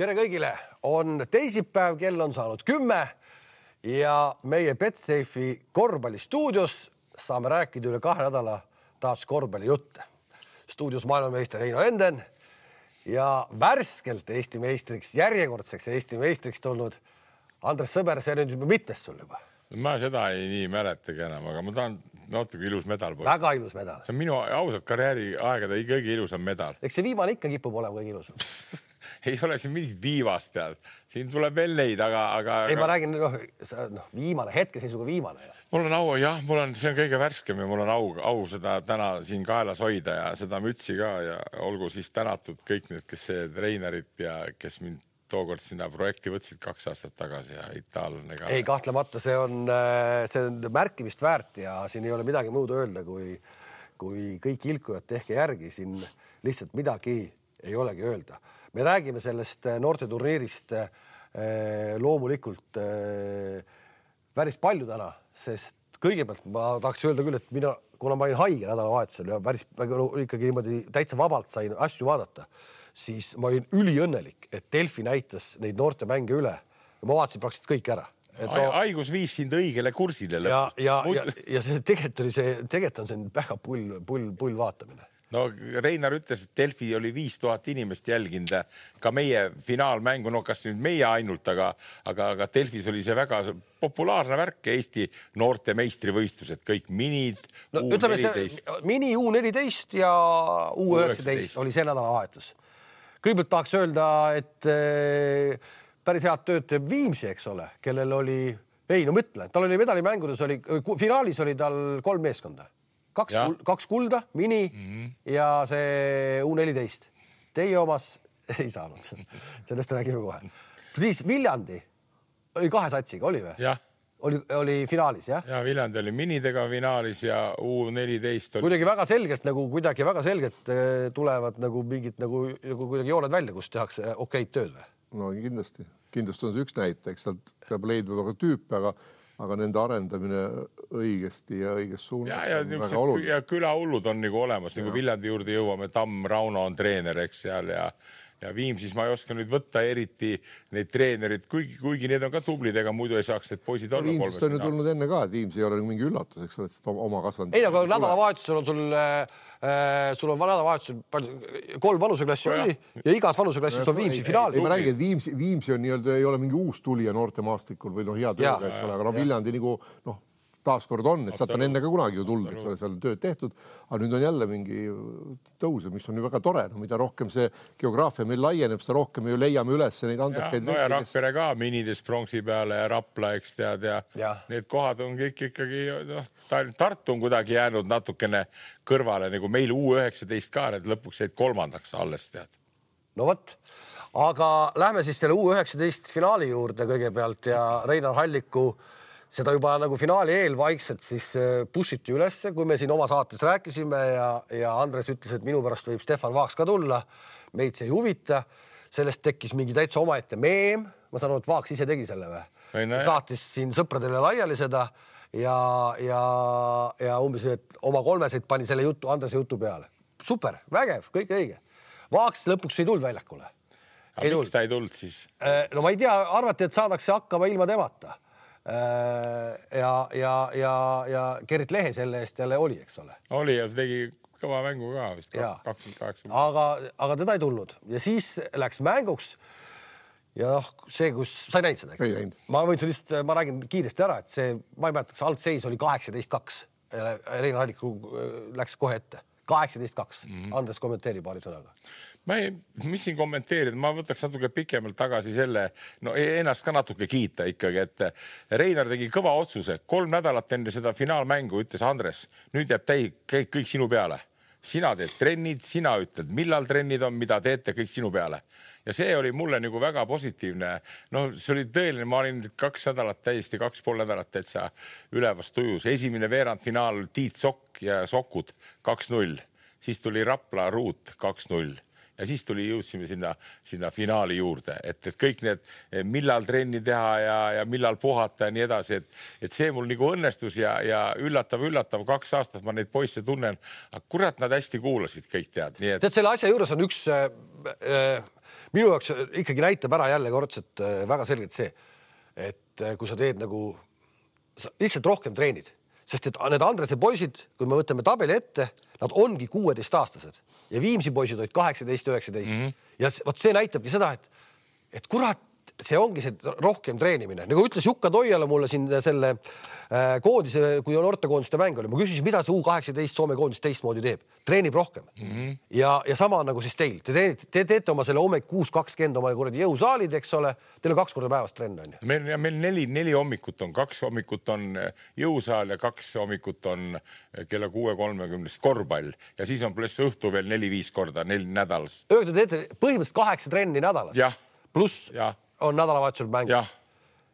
Tere kõigile, on teisipäev, kell on saanud 10 ja meie Betsafe'i korvpallistuudios saame rääkida üle 2 nädala taas korvpallijutte. Stuudios maailmameister Heino Enden ja värskelt Eesti meistriks, järjekordseks Eesti meistriks tulnud Andres Sõber, see nüüd mitmes sul juba? Ma seda ei nii mäletagi enam, aga ma tahan natuke ilus medal. Väga ilus medal. See on minu ausalt karjääri aegade kõige ilusam medal. Eks see viimane ikka kipub olema kõige ilusam. Ei ole siin mingit viivast tead. Siin tuleb veel neid, aga... Ei, ma räägin, viimane, hetkeseisuga viimane. Mul on au, jah, see on kõige värskem ja mul on au seda täna siin kaelas hoida ja seda mütsi ka ja olgu siis tänatud kõik need, kes see treenerid ja kes mind tookord sinna projekti võtsid 2 aastat tagasi ja itaallane ka. Ei, kahtlemata, see on märkimist väärt ja siin ei ole midagi muud öelda, kui kõik ilkujad tehke järgi. Siin lihtsalt midagi ei olegi öelda. Me räägime sellest noorteturniirist loomulikult päris palju täna, sest kõigepealt ma tahaks öelda küll, et kuna ma olin haige nädalavahetusel ja päris ikkagi niimoodi täitsa vabalt sain asju vaadata, siis ma olin üliõnnelik, et Delfi näitas neid noorte mänge üle. Ma vaatasin praktiliselt kõik ära. Haigus viis sind õigele kursile lõpus. Ja see tegelikult on see väga pull vaatamine. No Reinar ütles, et Delfi oli 5000 inimest jälginud ka meie finaalmängu, no kas nüüd meie ainult, aga Delfis oli see väga populaarne värk Eesti noorte meistrivõistlused, kõik minid, U14. Mini U14 ja U19 oli see nädalavahetus. Kõigepealt tahaks öelda, et päris head tööd teeb Viimsi, eks ole, kellel oli, tal oli medalimängudes, finaalis oli tal 3 meeskonda. 2 kulda, mini ja see U14. Teie omas ei saanud. Sellest räägime kohe. Siis Viljandi oli 2 satsiga, oli või? Jah. Oli finaalis, jah? Ja Viljandi oli minidega finaalis ja U14 oli... Kuidagi väga selgelt tulevad mingid kuidagi jooned välja, kus tehakse okeid tööd või? No kindlasti. Kindlasti on see üks näite, eks tal peab leidma väga tüüpe, aga nende arendamine õigesti ja õiges suunas on väga oluline. Ja külahullud on nagu olemas, nagu Viljandi juurde jõuame, Tamm Rauno on treener, eks seal ja Viimsis ma ei oska nüüd võtta eriti neid treenerid, kuigi need on ka tublid, ega muidu ei saaks need poisid olla. Viimsist on ju tulnud enne ka, et Viimsi ei ole mingi üllatus, eks ole, et oma kasvanud. Ei, aga nädalavahetusel on sul on nädalavahetusel 3 vanuseklassi oli ja igas vanuseklassis on Viimsi finaal. Ma räägin, et Viimsi on ei ole mingi uus tulija noorte maastikul või hea tööga, eks ole, aga Viljandi taaskord on, et sealt on enne ka kunagi ju tulnud, eks ole, seal on tööd tehtud, aga nüüd on jälle mingi tõuse, mis on ju väga tore, mida rohkem see geograafia meil laieneb, seda rohkem me ju leiame üles neid andekaid. Ja Rakvere ka minides pronksi peale ja Rapla, eks tead, ja need kohad on kõik ikkagi, Tartu on kuidagi jäänud natukene kõrvale, nagu meil U19 ka, need lõpuks jäid 3. alles, tead. No võt, aga lähme siis selle U19 finaali juurde kõigepealt ja Reinar Halliku seda juba nagu finaali eel vaikselt siis pushiti ülesse, kui me siin oma saates rääkisime ja Andres ütles, et minu pärast võib Stefan Vaaks ka tulla, meid see ei huvita, sellest tekkis mingi täitsa omaette meem, ma saan aru, et Vaaks ise tegi selle või? Saatis siin sõpradele laiali seda ja umbes, et oma 3 pani selle jutu, Andrese jutu peale. Super, vägev, kõik õige. Vaaks lõpuks ei tulnud väljakule. Miks ta ei tulnud siis? No ma ei tea, arvati, et saadakse hakkama ilma temata. Ja Gerrit Lehe selle eest jälle oli, eks ole. Oli ja tegi kõva mängu ka vist 28. Aga teda ei tulnud ja siis läks mänguks ja see, kus sa ei näinud seda, eks? Ma räägin kiiresti ära, et see, ma ei mäleta, kas algseis oli 18-2. Reinar Halliku läks kohe ette. 18-2. Andres kommenteeri paari sõnaga. Mis siin kommenteerida, ma võtaks natuke pikemalt tagasi selle, ennast ka natuke kiita ikkagi, et Reinar tegi kõva otsuse. 3 nädalat enne seda finaalmängu ütles Andres, nüüd jääb kõik sinu peale. Sina teed trennid, sina ütled, millal trennid on, mida teete, kõik sinu peale. Ja see oli mulle nagu väga positiivne. See oli tõeline, ma olin 2 nädalat täiesti, 2,5 nädalat täitsa ülevast tujus. Esimene veerandfinaal Tiit Sokk ja Sokud 2-0. Siis tuli Rapla Ruut 2-0. ja siis jõudsime sinna finaali juurde, et kõik need, millal trenni teha ja millal puhata ja nii edasi, et see mul nagu õnnestus ja üllatav, 2 aastat ma neid poisse tunnen, aga kurat, nad hästi kuulasid kõik tead. Tead, selle asja juures on üks, minu jaoks ikkagi näitab ära jälle kordselt väga selgelt see, et kui sa teed nagu lihtsalt rohkem treenid, sest et need Andrese poisid, kui me võtame tabeli ette, nad ongi 16-aastased ja Viimsi poisid olid 18-19 ja võt see näitabki seda, et kurat, see ongi see rohkem treenimine. Nagu ütles Jukka Toiala mulle siin selle koondise, kui on noortekoondiste mäng oli, ma küsisin, mida see U18 Soome koondis teistmoodi teeb. Treenib rohkem. Ja sama nagu siis teil. Te teete oma selle hommik 6.20 oma jõusaalid, eks ole. Teil on 2 korda päevast trenn on ju. Meil 4 hommikut on, 2 hommikut on jõusaal ja 2 hommikut on kella 6.30 korvpall ja siis on pluss õhtu veel 4-5 korda 4 nädalas. Te teete põhimõtteliselt 8 trenni nädalas. Jah. Pluss on nädalavahetusel mäng. Jah.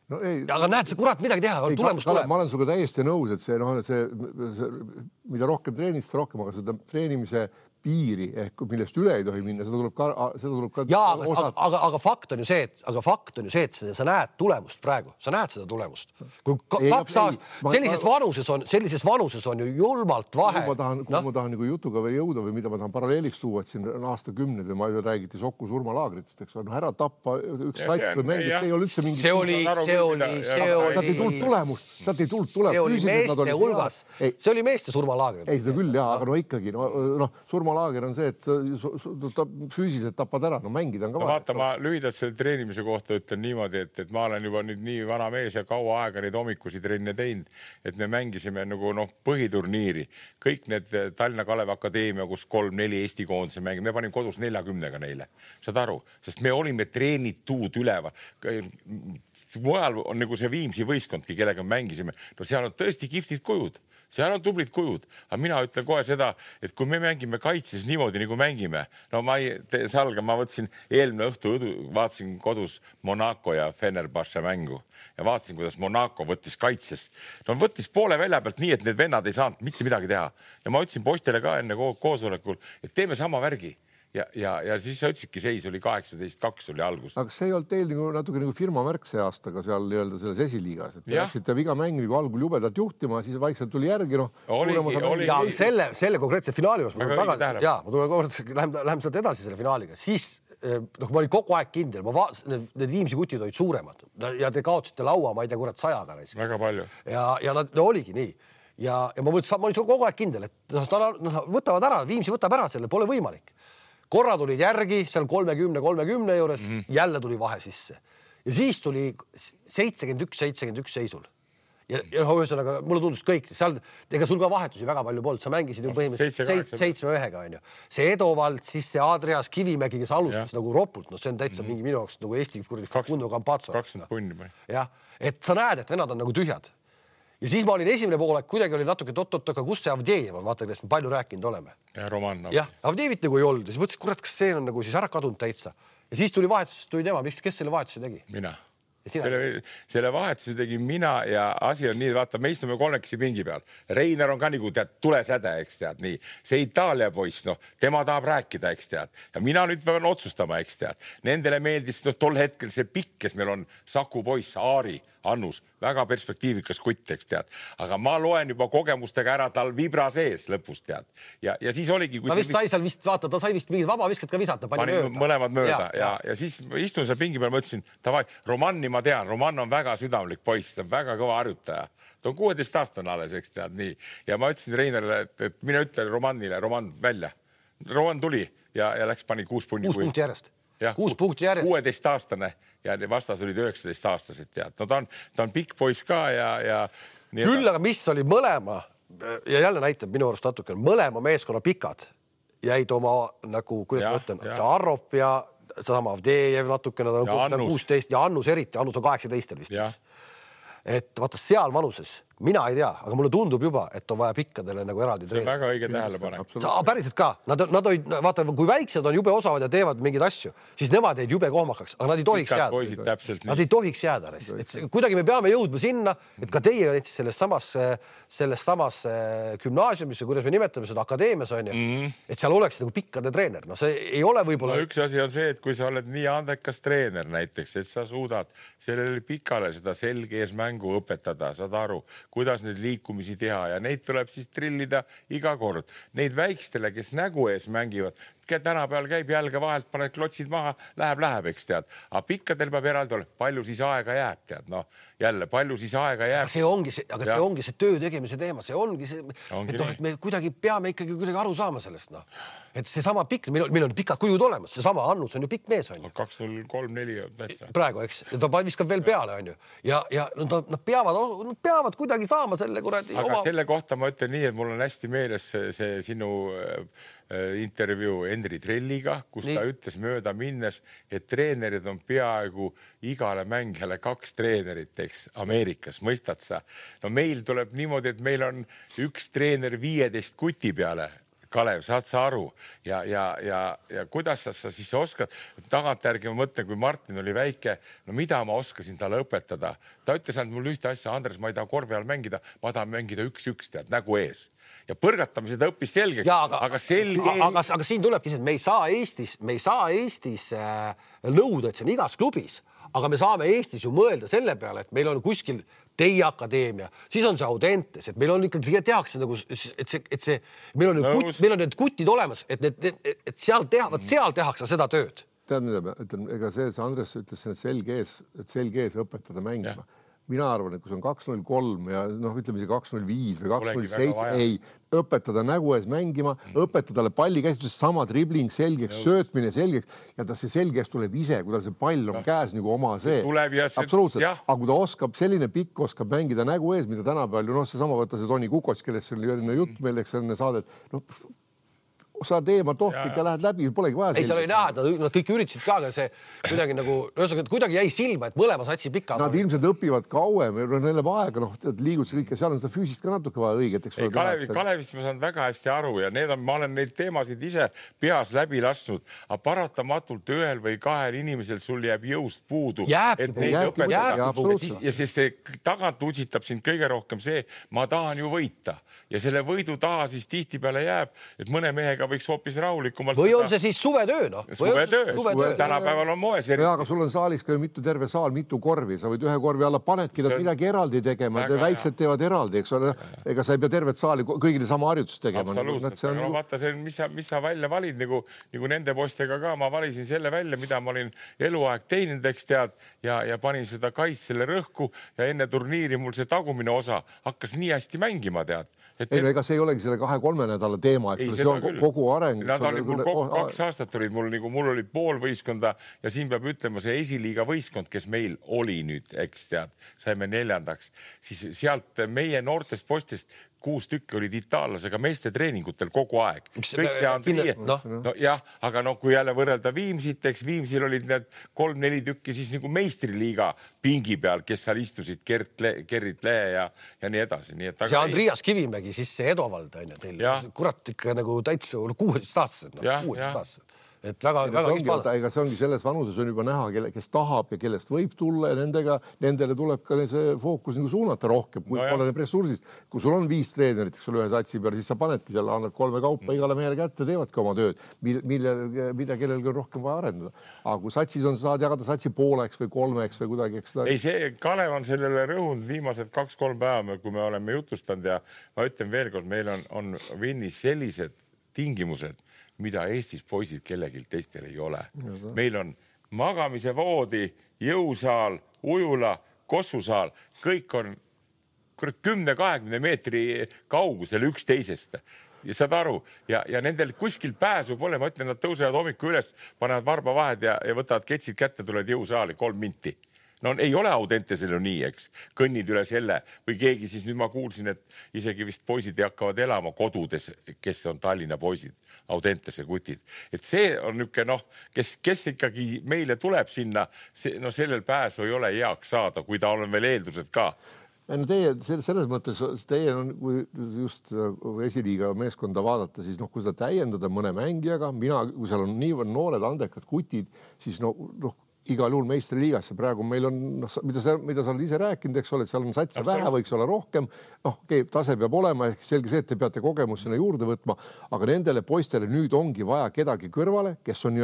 No ei, aga näed, see kurat midagi teha, tulemus tuleb. Ma olen suga täiesti nõus, et see, mida rohkem treenid, seda rohkem, aga seda treenimise piiri ehk millest üle ei tohi minna, seda tuleb ka ja, aga fakt on ju see, et sa näed tulemust praegu, sa näed seda tulemust. Kui 2 aastat sellises vanuses on ju julmalt vahe. Ma tahan nagu jutuga veel jõuda või mida ma tahan paralleeliks tuua, et siin on aastakümned või ma ju räägiti Soku surmalaagritest, eks ole, ära tappa üks sats või mängid, see ei ole üldse mingi... See oli Sealt ei tulnud tulemust. See oli meeste surmalaagrid. Ei, seda küll, aga no ikkagi, surmalaager on see, et füüsiliselt tapad ära, no mängida on ka vaata, ma lühidalt selle treenimise kohta ütlen niimoodi, et ma olen juba nüüd nii vana mees ja kaua aega neid hommikusi trenne teinud, et me mängisime nagu põhiturniiri. Kõik need Tallinna Kalevi Akadeemia, kus 3-4 Eesti koondise mängime, me panime kodus 40-ga neile. Saad aru? Sest me olime treenitud üleval. Mujal on nagu see Viimsi võistkondki, kellega mängisime. No seal on tõesti kihvtid kujud. Seal on tublid kujud, aga mina ütlen kohe seda, et kui me mängime kaitses niimoodi nagu mängime, no ma võtsin eelmine õhtu, vaatasin kodus Monaco ja Fenerbahce mängu ja vaatasin, kuidas Monaco võttis kaitses. No võttis poole välja pealt nii, et need vennad ei saanud mitte midagi teha. Ja ma ütlesin poistele ka enne koosolekul, et teeme sama värgi. Ja siis sa ütlesidki, seis oli 18-2 oli algus. Aga see ei olnud teil natuke nagu firma märk see aastaga seal nii-öelda selles esiliigas, et läksite iga mäng nagu algul jubedalt juhtima, siis vaikselt tuli järgi. Ja selle konkreetse finaali juures, läheme sealt edasi selle finaaliga, siis ma olin kogu aeg kindel, need Viimsi kutid olid suuremad ja te kaotasite laua, ma ei tea, kurat 100-ga. Väga palju. Ja nad oligi nii. Ja ma olin kogu aeg kindel, et võtavad ära, Viimsi võtab ära selle, pole võimalik. Korra tulid järgi, seal 30 juures, jälle tuli vahe sisse. Ja siis tuli 71 seisul. Ja ühesõnaga, mulle tundus kõik, ega sul ka vahetusi väga palju polnud, sa mängisid ju põhimõtteliselt 7-1-ga, on ju. See Edovald, siis see Adrias Kivimägi, kes alustas nagu ropult, no see on täitsa mingi minu jaoks nagu Eesti Facundo Campazzo. 20 punni. Jah, et sa näed, et vennad on nagu tühjad. Ja siis ma olin esimene poolek, kuidagi oli natuke aga kus see Avdejev on, vaata, kellest me palju rääkinud oleme. Ja Roman. Jah, Avdejevit nagu ei olnud. Ja siis mõtlesin, kurat, kas see on nagu siis ära kadunud täitsa. Ja siis tuli vahetus, tuli tema. Kes selle vahetuse tegi? Mina. Selle vahetuse tegi mina ja asi on nii, vaata, me istume kolmekesi pingi peal. Reiner on ka nagu, tead, tulesäde, eks tead, nii. See Itaalia poiss, tema tahab rääkida, eks tead. Ja mina nüüd pean otsustama, eks tead. Nendele meeldis tol hetkel see pikk, kes meil on Saku poiss, Aari, Annus, väga perspektiivikas kutt, eks tead. Aga ma loen juba kogemustega ära tal vibra sees lõpus, tead. Ja siis oligi... Ta sai vist mingid vaba viskad ka visata. Pani mõlemad mööda. Ja siis istun seal pingi peal, mõtlesin, tavai, Romanni ma tean. Roman on väga südamlik poiss, ta on väga kõva harjutaja. Ta on 16-aastane alles, eks tead, nii. Ja ma ütlesin Reinerile, et mine ütle Romannile, Roman välja. Roman tuli ja läks pani 6 punni. 6 punkti järjest. 6 punkti järjest. 16-aastane ja vastas olid 19-aastased, tead. No ta on pikk poiss ka ja küll, aga mis oli mõlema ja jälle näitab minu arust natuke, mõlema meeskonna pikad jäid oma nagu, kuidas ma ütlen, see Arrop ja sama Avdejev natukene, ta on 16 ja Annus eriti, Annus on 18 vist. Et vaata seal vanuses mina ei tea, aga mulle tundub juba, et on vaja pikkadele nagu eraldi treener. See on väga õige tähelepanek. Päriselt ka. Nad olid, vaata, kui väiksed on jube osavad ja teevad mingeid asju, siis nemad jäid jube kohmakaks, aga nad ei tohiks jääda. Nad ei tohiks jääda. Kuidagi me peame jõudma sinna, et ka teie olid selles samas gümnaasiumis, kuidas me nimetame seda akadeemias on ju, et seal oleks nagu pikkade treener. No see ei ole võib-olla... No üks asi on see, et kui sa oled nii andekas treener näiteks, et sa suudad sellele pikale seda selge ees mängu õpetada, saad aru, kuidas neid liikumisi teha ja neid tuleb siis trillida iga kord. Neid väikstele, kes nägu ees mängivad, tänapäeval käib jälge vahelt, paned klotsid maha, läheb, eks tead. Aga pikkadel peab eraldi olema, palju siis aega jääb, tead. No jälle, palju siis aega jääb. See ongi see töö tegemise teema, see ongi see, et me kuidagi peame ikkagi kuidagi aru saama sellest, noh. Et see sama pikk, meil on pikad kujud olemas, see sama Annus on ju pikk mees, on ju. 2-0-3-4 täitsa. Praegu, eks, ja ta viskab veel peale, on ju. Ja nad peavad kuidagi saama selle kuradi aga selle kohta ma ütlen nii, et mul on hästi meeles see sinu intervjuu Henri Trelliga, kus ta ütles mööda minnes, et treenerid on peaaegu igale mängijale 2 treenerit, eks, Ameerikas, mõistad sa? No meil tuleb niimoodi, et meil on üks treener 15 kuti peale. Kalev, saad sa aru ja kuidas sa siis oskad, tagantjärgi ma mõtlen, kui Martin oli väike, no mida ma oskasin talle õpetada? Ta ütles ainult mul ühte asja, Andres, ma ei taha korvi all mängida, ma tahan mängida 1-1 tead, nägu ees. Ja põrgatamised õppis selgeks, aga selge... Aga siin tulebki see, et me ei saa Eestis nõuda, et see on igas klubis, aga me saame Eestis ju mõelda selle peale, et meil on kuskil teie akadeemia, siis on see Audentes, et meil on ikkagi tehakse nagu, et meil on need kutid olemas, et seal tehakse seda tööd. Tead, mida ma ütlen, ega see Andres ütles, et selge ees õpetada mängima. Mina arvan, et kui see on 2-0-3 ja ütleme see 2-0-5 või 2-0-7, ei õpetada nägu ees mängima, õpetada palli käsitlus, sama dribling selgeks, söötmine selgeks ja see selgeks tuleb ise, kui ta see pall on käes nagu oma see. Absoluutselt. Aga kui ta oskab, selline pikk oskab mängida nägu ees, mida tänapäeval, see sama võtta see Toni Kukots, kellest see oli jutt meil, eks enne saadet, sa teemad tohtlik ja lähed läbi, polegi vaja. Ei, seal oli näha, et nad kõik üritasid ka, aga see kuidagi nagu, kuidagi jäi silma, et mõlema satsi pika. Nad ilmselt õpivad kauem, neil on aega, liigud see kõik ja seal on seda füüsist ka natuke vaja õiget. Kalevist ma saan väga hästi aru ja ma olen neid teemasid ise peas läbi lasknud, aga paratamatult ühel või 2 inimesel sul jääb jõust puudu. Jääbki. Ja see tagant utsitab sind kõige rohkem see, ma tahan ju võita. Ja selle võidu taha siis tihtipeale jääb, et mõne mehega võiks hoopis rahulikumalt... Või on see siis suvetöö, noh? Suvetöö. Tänapäeval on moes. Ja, aga sul on saalis ka ju terve saal, mitu korvi. Sa võid ühe korvi alla panedki, nad midagi eraldi tegema. Väiksed teevad eraldi, eks ole. Ega sa ei pea tervet saali kõigile sama harjutust tegema. Absoluutselt. No vaata, mis sa välja valid, nagu nende postega ka. Ma valisin selle välja, mida ma olin eluaeg teinud, eks tead, ja panin seda kaitsele rõhku ja enne turniiri mul see tagumine osa hakkas nii hästi mängima, tead. Ega see ei olegi selle 2-3 nädala teema, eks see on kogu areng. Nad olid mul 2 aastat olid mul oli pool võistkonda ja siin peab ütlema see esiliiga võistkond, kes meil oli nüüd, eks tead, saime 4. Siis sealt meie noortest postist 6 tükki olid itaallasega meeste treeningutel kogu aeg. Kõik see Andrie. Jah, aga kui jälle võrrelda Viimsit, eks Viimsil olid need 3-4 tükki siis nagu meistriliiga pingi peal, kes seal istusid, Gerrit Lee ja nii edasi. See Andrias Kivimägi, siis see Edovald on ju teil. Kurat ikka nagu täitsa 16-aastased. 16-aastased. Et väga ega see ongi selles vanuses on juba näha, kes tahab ja kellest võib tulla ja nendele tuleb ka see fookus nagu suunata rohkem, kui pole need ressursist. Kui sul on 5 treenerit, sul ühe satsi peal, siis sa panedki seal, annad 3 kaupa igale mehele kätte, teevadki oma tööd, mida kellelgi on rohkem vaja arendada. Aga kui satsis on, saad jagada satsi pooleks või 3 või kuidagi. Ei, see Kalev on sellele rõhunud viimased 2-3 päeva, kui me oleme jutustanud ja ma ütlen veel kord, meil on Vinnis sellised tingimused, mida Eestis poisid kellelgi teistel ei ole. Meil on magamise voodi, jõusaal, ujula, kossusaal, kõik on 10-20 meetri kaugusel üksteisest. Ja saad aru, ja nendel kuskil pääsu pole, ma ütlen, nad tõusevad hommiku üles, panevad varba vahed ja võtavad ketsid kätte, tulevad jõusaali 3 minti. No ei ole Audentesel ju nii, eks, kõnnid üle selle või keegi siis nüüd ma kuulsin, et isegi vist poisid hakkavad elama kodudes, kes on Tallinna poisid, Audentese kutid. Et see on niisugune, kes ikkagi meile tuleb sinna, sellel pääsu ei ole heaks saada, kui ta on veel eeldused ka. Teie selles mõttes, teie on, kui just esiliiga meeskonda vaadata, siis kui seda täiendada mõne mängijaga, kui seal on niivõrd noored andekad kutid, siis igal juhul meistriliigasse praegu meil on, mida sa oled ise rääkinud, eks ole, et seal on satse vähe, võiks olla rohkem, tase peab olema, ehk selge see, et te peate kogemus sinna juurde võtma, aga nendele poistele nüüd ongi vaja kedagi kõrvale, kes on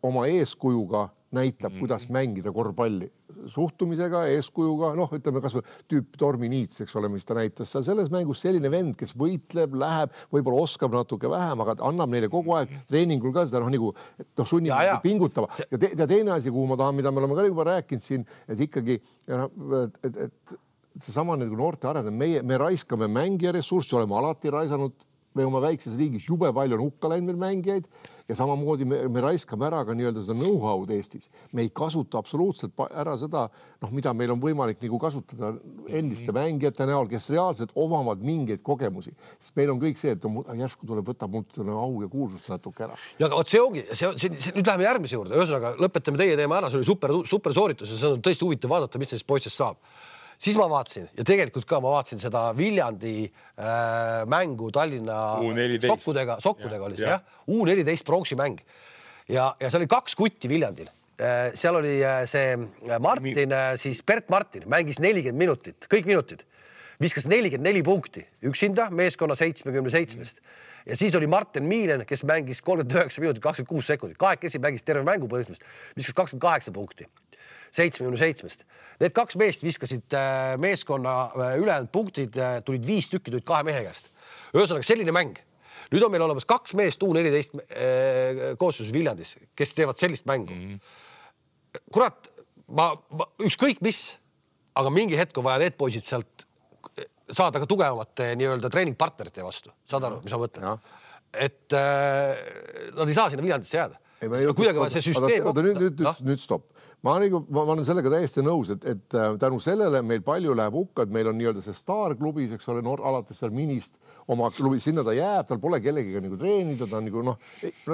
oma eeskujuga näitab, kuidas mängida korvpalli suhtumisega, eeskujuga, ütleme kas või tüüp Tormi Niits, eks ole, mis ta näitas seal selles mängus, selline vend, kes võitleb, läheb, võib-olla oskab natuke vähem, aga annab neile kogu aeg treeningul ka seda sunnib pingutama. Ja teine asi, kuhu ma tahan, mida me oleme ka juba rääkinud siin, et ikkagi, et seesama noorte arendamine, me raiskame mängija ressurssi, oleme alati raisanud, me oma väikses riigis jube palju on hukka läinud meil mängijaid ja samamoodi me raiskame ära ka nii-öelda seda know-how'd Eestis. Me ei kasuta absoluutselt ära seda, mida meil on võimalik kasutada endiste mängijate näol, kes reaalselt omavad mingeid kogemusi. Sest meil on kõik see, et järsku tuleb võtab mult au ja kuulsust natuke ära. Ja aga see ongi, nüüd läheme järgmise juurde. Ühesõnaga, lõpetame teie teema ära, see oli super sooritus ja see on tõesti huvitav vaadata, mis sellest poistest saab. Siis ma vaatasin ja tegelikult ka ma vaatasin seda Viljandi mängu Tallinna sokkudega oli see, jah? U14 pronksi mäng. Ja seal oli 2 kutti Viljandil. Seal oli see Martin, siis Bert Martin mängis 40 minutit, kõik minutid. Viskas 44 punkti, üksinda meeskonna 77-st. Ja siis oli Martin Miilen, kes mängis 39 minutit, 26 sekundit. Kahekesi mängis terve mängu põhimõtteliselt. Viskas 28 punkti. 77-st. Need 2 meest viskasid meeskonna ülejäänud punktid, tulid 5 tükki, tulid 2 mehe käest. Ühesõnaga selline mäng. Nüüd on meil olemas 2 meest U14 koosluses Viljandis, kes teevad sellist mängu. Kurat, ma ükskõik mis, aga mingi hetk on vaja need poisid sealt saada ka tugevamate nii-öelda treeningpartnerite vastu. Saad aru, mis ma mõtlen? Et nad ei saa sinna Viljandisse jääda. Kuidagi vaja see süsteem... Nüüd stopp. Ma olen sellega täiesti nõus, et tänu sellele meil palju läheb hukka, et meil on nii-öelda see staarklubis, eks ole, alates seal minist oma klubi, sinna ta jääb, tal pole kellegiga treenida, ta on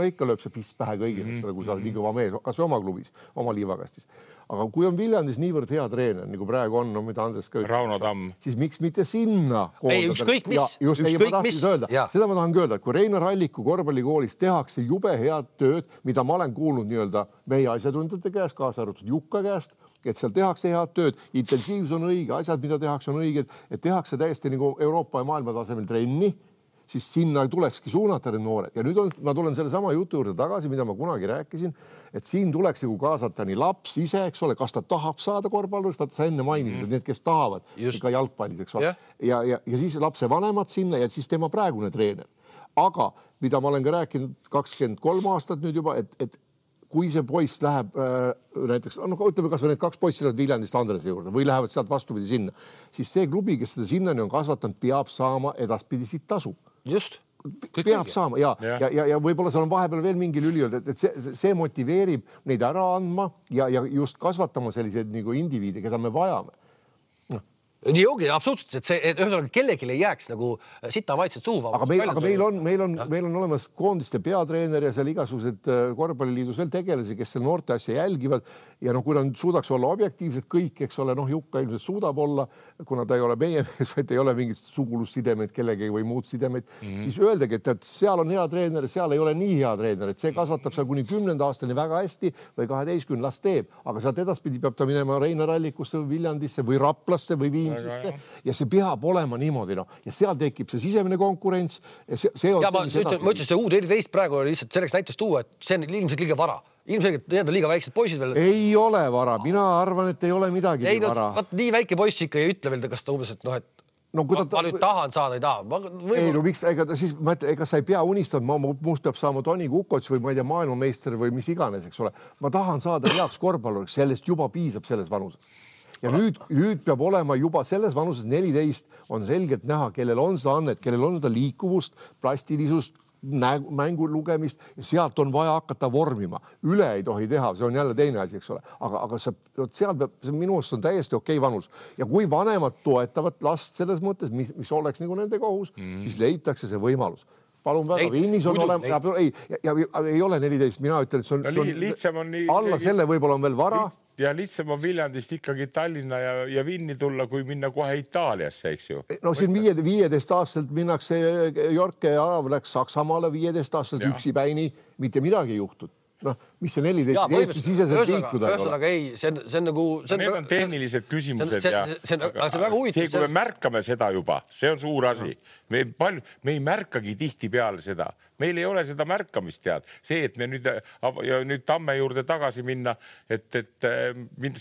ikka lööb see pist pähe kõigile, kui sa oled nii kõva mees, kas oma klubis, oma liivakastis. Aga kui on Viljandis niivõrd hea treener, nagu praegu on, mida Andres ka Rauno Tamm, siis miks mitte sinna ei, ükskõik mis. Seda ma tahan öelda, et kui Reinar Alliku korvpallikoolis tehakse jube head tööd, mida ma olen kuulnud nii-öelda meie asjatundjate käest, kaasa arvatud Jukka käest, et seal tehakse head tööd, intensiivsus on õige, asjad, mida tehakse, on õiged, et tehakse täiesti nagu Euroopa ja maailma tasemel trenni, siis sinna tulekski suunata need noored. Ja nüüd ma tulen selle sama jutu juurde tagasi, mida ma kunagi rääkisin, et siin tuleks kaasata nii laps ise, eks ole, kas ta tahab saada korvpallurist, vaata sa enne mainisid, need, kes tahavad ikka jalgpallis, eks ole. Ja siis lapse vanemad sinna ja siis tema praegune treener. Aga mida ma olen ka rääkinud 23 aastat nüüd juba, et kui see poiss läheb näiteks, ütleme kas või need 2 poissi lähevad Viljandist Andrese juurde või lähevad sealt vastupidi sinna, siis see klubi, kes seda sinnani on kasvatanud, peab saama edaspidi siit tasu. Just. Peab saama ja võib-olla seal on vahepeal veel mingi lüli olnud, et see motiveerib neid ära andma ja just kasvatama selliseid nagu indiviide, keda me vajame. Nii ongi, absoluutselt, et see ühesõnaga kellelegi ei jääks nagu sita maitset suuva. Aga meil on olemas koondiste peatreener ja seal igasugused korvpalliliidus veel tegelasi, kes seal noorte asja jälgivad ja kui nad suudaks olla objektiivsed kõik, eks ole, Jukka ilmselt suudab olla, kuna ta ei ole meie mees, vaid ei ole mingit sugulussidemeid kellegagi või muud sidemeid, siis öeldagi, et seal on hea treener, seal ei ole nii hea treener, et see kasvatab seal kuni 10. aastani väga hästi või 12 las teeb, aga sealt edaspidi peab ta minema Reinar Allikusse või Viljandisse või Raplasse või Viimsisse ja see peab olema niimoodi, ja seal tekib see sisemine konkurents. Ma ütlesin, see U14 praegu oli lihtsalt selleks näiteks tuua, et see on ilmselt liiga vara. Ilmselt need on liiga väiksed poisid veel. Ei ole vara, mina arvan, et ei ole midagi vara. Nii väike poiss ikka ei ütle veel, kas ta umbes, et ma nüüd tahan saada, ei taha. Ei, miks, ega sa ei pea unistama, must peab saama Toni Kukots või ma ei tea, maailmameister või mis iganes, eks ole. Ma tahan saada heaks korvpalluriks, sellest juba piisab selles vanuses. Ja nüüd peab olema juba selles vanuses 14 on selgelt näha, kellel on seda annet, kellel on seda liikuvust, plastilisust, mängu lugemist ja sealt on vaja hakata vormima. Üle ei tohi teha, see on jälle teine asi, eks ole. Aga seal peab, minu arust on täiesti okei vanus. Ja kui vanemad toetavad last selles mõttes, mis oleks nagu nende kohus, siis leitakse see võimalus. palun väga, Vinnis on olema, ei ole 14, mina ütlen, et see on lihtsam on nii, alla selle võib-olla on veel vara. Ja lihtsam on Viljandist ikkagi Tallinna ja Vinni tulla, kui minna kohe Itaaliasse, eks ju. No siin 15 aastaselt minnakse, Jorke Arav läks Saksamaale 15 aastaselt üksi päini, mitte midagi ei juhtud. Noh, mis see 14 Eesti siseselt liikuda? Ühesõnaga ei, see on nagu... Need on tehnilised küsimused ja see, kui me märkame seda juba, see on suur asi. Me ei märkagi tihti peale seda. Meil ei ole seda märkamist tead. See, et me nüüd Tamme juurde tagasi minna, et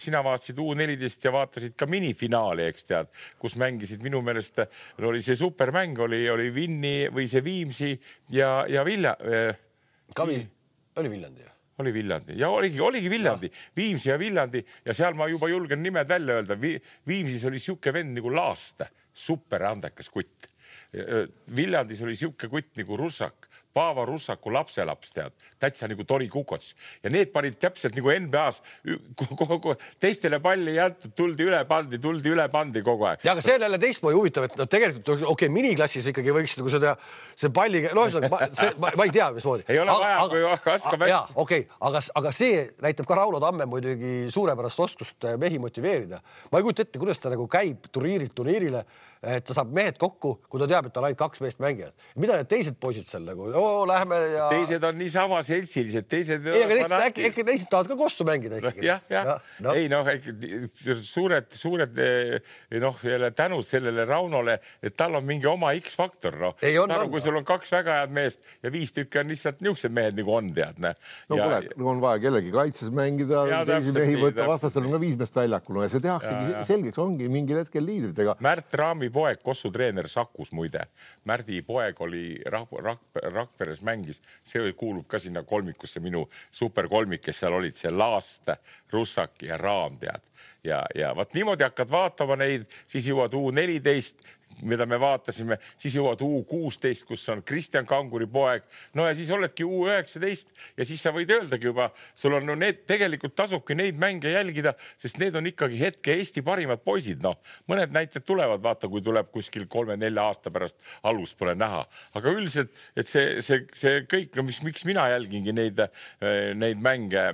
sina vaatasid U14 ja vaatasid ka minifinaali, eks tead, kus mängisid minu meelest, oli see supermäng, oli Vinni või see Viimsi ja Oli Viljandi. Oli Viljandi ja oligi Viljandi, Viimsi ja Viljandi ja seal ma juba julgen nimed välja öelda. Viimsis oli siuke vend nagu Laaste, super andekas kutt. Viljandis oli siuke kutt nagu Russak, Paava Russaku lapselaps tead, täitsa nagu Tori Kukots ja need panid täpselt nagu NBA-s teistele palli jäetud, tuldi üle pandi kogu aeg. Ja aga see on jälle teistmoodi huvitav, et tegelikult miniklassis ikkagi võiks nagu seda see palli, ma ei tea, mismoodi. Ei ole vaja, kui haskab hästi. Aga see näitab ka Rauno Tamme muidugi suurepärast oskust mehi motiveerida. Ma ei kujuta ette, kuidas ta nagu käib turniirile, et ta saab mehed kokku, kui ta teab, et ta on ainult 2 meest mängijad. Mida need teised poisid seal nagu? Lähme ja... Teised on niisama seltsilised, teised... Ei, aga äkki teised tahavad ka kossu mängida ikkagi. Jah. Ei, suured jälle tänud sellele Raunole, et tal on mingi oma X-faktor. Kui sul on 2 väga head meest ja 5 tükki on lihtsalt niisugused mehed nagu on, tead. On vaja kellegi kaitses mängida, teisi mehi võtta, vastasel on ka 5 meest väljakul ja see tehaksegi selgeks, ongi mingil hetkel liidritega. Märt Raami poeg, Kossu treener Sakus muide. Märdi poeg oli Rakveres mängis, see kuulub ka sinna kolmikusse, minu superkolmik, kes seal olid, see Laast, Russak ja Raam tead. Ja vaat niimoodi hakkad vaatama neid, siis jõuad U14, mida me vaatasime, siis jõuad U16, kus on Kristjan Kanguri poeg. No ja siis oledki U19 ja siis sa võid öeldagi juba, sul on tegelikult tasubki neid mänge jälgida, sest need on ikkagi hetke Eesti parimad poisid. Mõned näited tulevad, vaata, kui tuleb kuskil 3-4 aasta pärast alus pole näha. Aga üldiselt, et see kõik, miks mina jälgingi neid mänge,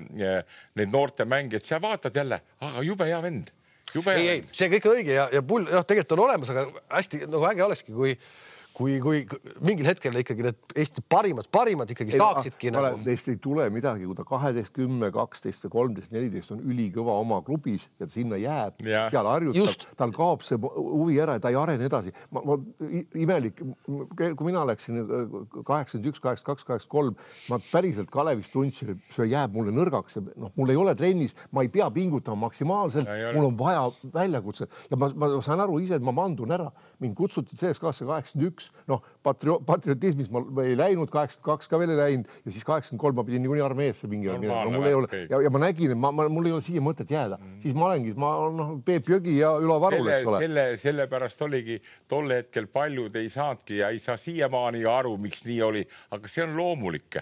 neid noorte mänge, et sa vaatad jälle, aga jube hea vend. Ei, see kõik on õige ja pull, tegelikult on olemas, aga hästi äge olekski, kui mingil hetkel ikkagi need Eesti parimad ikkagi saaksidki. Neist ei tule midagi, kui ta 12, 10, 12 või 13, 14 on ülikõva oma klubis ja ta sinna jääb, seal harjutab, tal kaob see huvi ära ja ta ei arene edasi. Imelik, kui mina läksin 81, 82, 83, ma päriselt Kalevist tundsin, see jääb mulle nõrgaks. Mul ei ole trennis, ma ei pea pingutama maksimaalselt, mul on vaja väljakutset ja ma saan aru ise, et ma mandun ära. Mind kutsuti CSKA-sse 81, patriotismis ma ei läinud, 82 ka veel ei läinud ja siis 83 ma pidin niikuinii armeesse mingi mul ei ole ja ma nägin, et mul ei ole siia mõtet jääda. Siis ma olengi, Peep Jõgi ja Ülo Varul, eks ole. Sellepärast oligi tol hetkel paljud ei saadki ja ei saa siiamaani aru, miks nii oli, aga see on loomulik.